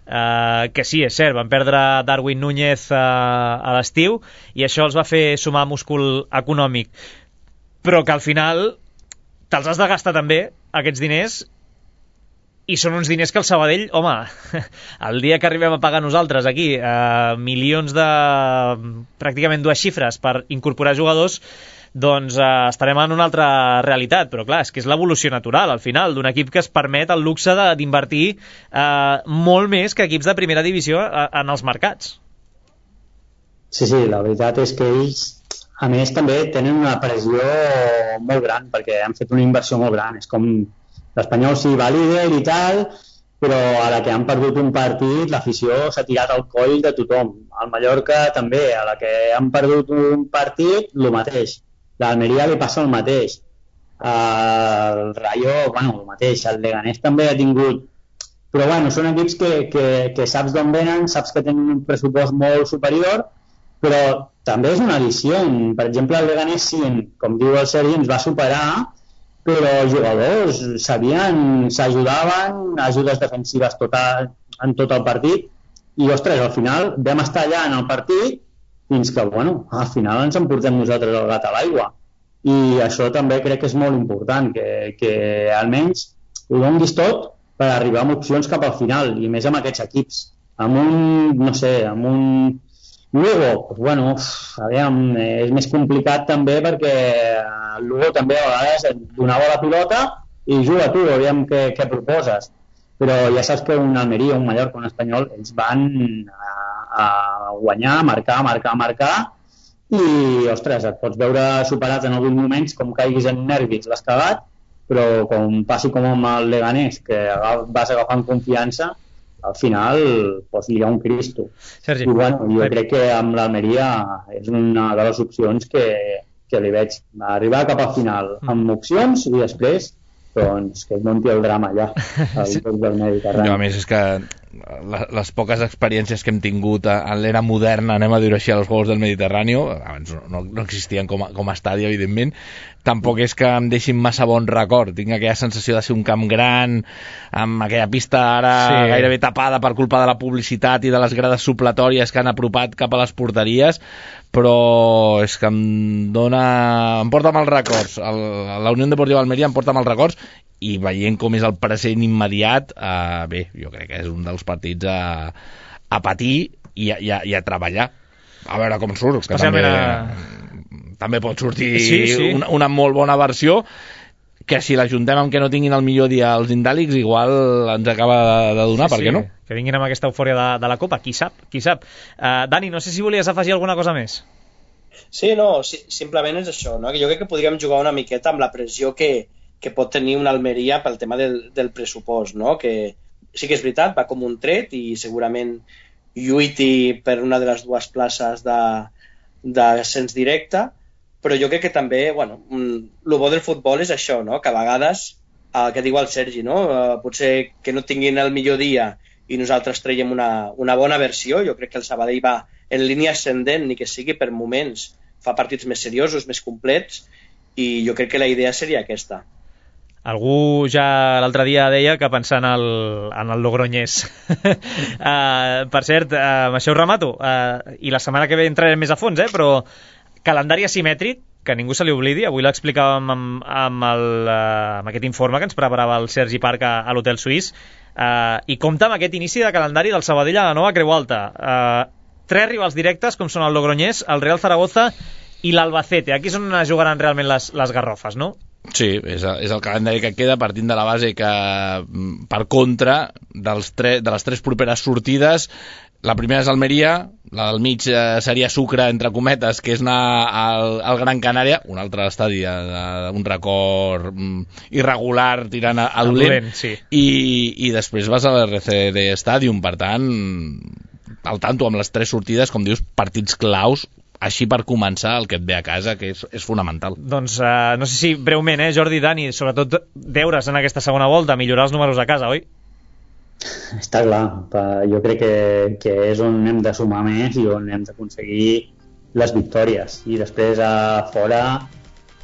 que sí, és cert, van perdre Darwin Núñez a l'estiu i això els va fer sumar múscul econòmic, però que al final te'ls has de gastar també, aquests diners, i són uns diners que el Sabadell, home, el dia que arribem a pagar nosaltres aquí milions de pràcticament 2 xifres per incorporar jugadors, doncs estarem en una altra realitat, però clar, és que és l'evolució natural al final d'un equip que es permet el luxe d'invertir molt més que equips de primera divisió en els mercats.
Sí, la veritat és que ells, a més, també tenen una pressió molt gran, perquè han fet una inversió molt gran. És com l'Espanyol sí va líder i tal, però a la que han perdut un partit l'afició s'ha tirat al coll de tothom. Al Mallorca també, a la que han perdut un partit, el mateix. L'Almeria li passa el mateix. El Rayo, el mateix. El Leganés també ha tingut... Però són equips que saps d'on venen, saps que tenen un pressupost molt superior, però també és una addició. Per exemple, el Leganés, sí, com diu el Sergi, ens va superar, però els jugadors s'ajudaven, ajudes defensives en tot el partit, i ostres, al final vam estar allà en el partit fins que, bueno, al final ens emportem nosaltres el gat a l'aigua, i això també crec que és molt important, que almenys ho donguis tot per arribar amb opcions cap al final, i més amb aquests equips, amb un Lugo, pues bueno, aviam, és més complicat també perquè el Lugo també a vegades et donava la pilota i juga tu, aviam què proposes. Però ja saps que un Almeria, un Mallorca, un Espanyol, ells van a guanyar, marcar, i, ostres, et pots veure superat en alguns moments, com caiguis en nervis, l'has cagat, però com passi com amb el Leganés, que vas agafant confiança, al final pues, hi ha un Cristo.
Sergi.
I bueno, jo crec que amb l'Almeria és una de les opcions que li veig arribar cap al final amb opcions i després doncs que es munti el drama allà al lloc del Mediterrani.
A més és que les poques experiències que hem tingut en l'era moderna, anem a dir així, als Jocs del Mediterrani, abans no existien com a estadi, evidentment, tampoc és que em deixin massa bon record. Tinc aquella sensació de ser un camp gran, amb aquella pista ara gairebé tapada per culpa de la publicitat i de les grades supletòries que han apropat cap a les porteries, però és que em porta mals records. La Unió Deportiva Almeria em porta mals records, i veient com és el present immediat, bé, jo crec que és un dels partits a patir i a treballar. A veure com surt, que també pot sortir una molt bona versió, que si l'ajuntem amb que no tinguin el millor dia els indàlics, igual ens acaba de donar, per què no?
Que vinguin amb aquesta eufòria de la Copa, qui sap. Dani, no sé si volies afegir alguna cosa més.
Sí, no, simplement és això, no? Que jo crec que podríem jugar una miqueta amb la pressió que pot tenir una Almeria pel tema del pressupost, no? Que sí que és veritat, va com un tret i segurament lluiti per una de les dues places d'ascens directe, però jo crec que també, bueno, el bo del futbol és això, no? Que a vegades, que diu el Sergi, no? Potser que no tinguin el millor dia i nosaltres traiem una bona versió. Jo crec que el Sabadell va en línia ascendent, ni que sigui per moments, fa partits més seriosos, més complets, i jo crec que la idea seria aquesta.
Algú ja l'altre dia deia que pensant en el Logroñés. Per cert, amb això ho remato, i la setmana que ve entrarem més a fons, però calendari asimètric, que ningú se li oblidi. Avui l'explicàvem amb aquest informe que ens preparava el Sergi Parc a l'Hotel Suís, i compta amb aquest inici de calendari del Sabadell a la nova Creu Alta. 3 rivals directes, com són el Logroñés, el Real Zaragoza i l'Albacete. Aquí és on jugaran realment les garrofes, no?
Sí, és el calendari que queda, partint de la base que, per contra, de les 3 properes sortides, la primera és Almeria, la del mig seria Sucre, entre cometes, que és anar al Gran Canària, un altre estadi, un record irregular tirant a dolent,
sí.
I després vas a l'RCD Stadium, per tant, al tanto amb les 3 sortides, com dius, partits claus, així per començar el que et ve a casa, que és fonamental.
Doncs no sé si breument, Jordi, Dani, sobretot deures en aquesta segona volta, millorar els números a casa, oi?
Està clar, jo crec que és on hem de sumar més i on hem d'aconseguir les victòries, i després a fora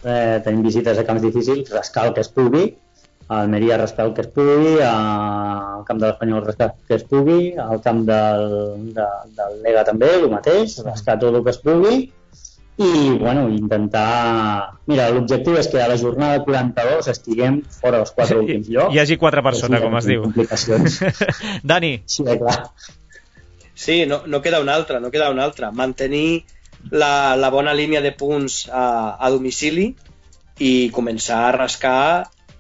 tenim visites a camps difícils, rascar el que es pugui, a Almeria rascar el que es pugui, al camp de l'Espanyol rascar el que es pugui, al camp del Lega també, el mateix, rascar tot el que es pugui, i bueno, intentar... Mira, l'objectiu és que a la jornada 42 estiguem fora dels 4 últims llocs.
Hi hagi 4 per sota, com es diu. Dani.
Sí, clar.
Sí, no queda una altra. Mantenir la bona línia de punts a domicili i començar a rascar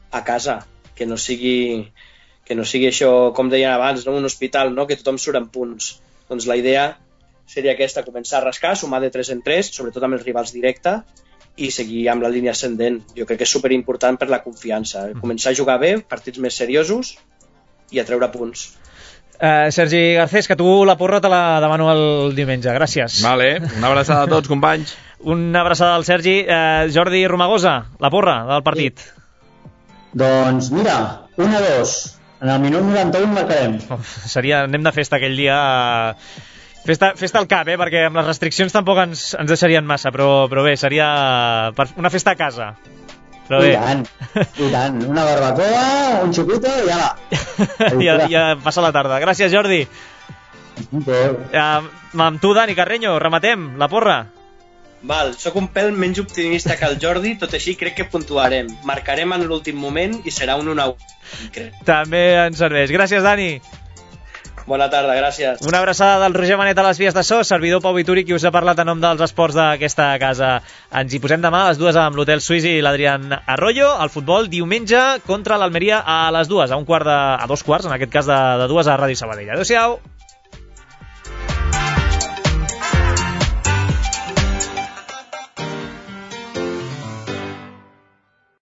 a casa, que no sigui això, com deien abans, no? Un hospital, no? Que tothom surt en punts. Doncs la idea seria aquesta, començar a rascar, sumar de 3 en 3, sobretot amb els rivals directes, i seguir amb la línia ascendent. Jo crec que és superimportant per la confiança. Començar a jugar bé, partits més seriosos i a treure punts.
Sergi Garcés, que tu la porra te la demano el diumenge. Gràcies.
Vale, una abraçada a tots, companys.
Una abraçada al Sergi. Jordi Romagosa, la porra del partit. Sí.
Doncs mira, 1-2. En el minut 91 marcarem.
Anem de festa aquell dia. Festa al cap, perquè amb les restriccions tampoc ens deixarien massa, però bé, seria una festa a casa. Però bé.
I tant. Una barbacoa, un xupito i ala.
ja passa la tarda. Gràcies, Jordi. Amb tu, Dani Carreño, rematem la porra.
Val, sóc un pèl menys optimista que el Jordi, tot així crec que puntuarem. Marcarem en l'últim moment i serà un 1-1.
També ens serveix. Gràcies, Dani.
Bona tarda, gràcies.
Una abraçada del Roger Manet a les vies de so, servidor Pau Vituri, qui us ha parlat en nom dels esports d'aquesta casa. Ens hi posem demà a les 2 amb l'Hotel Suís i l'Adrián Arroyo. El futbol diumenge contra l'Almeria a les 2, a 2 quarts, en aquest cas de 2 a Ràdio Sabadell. Adéu-siau.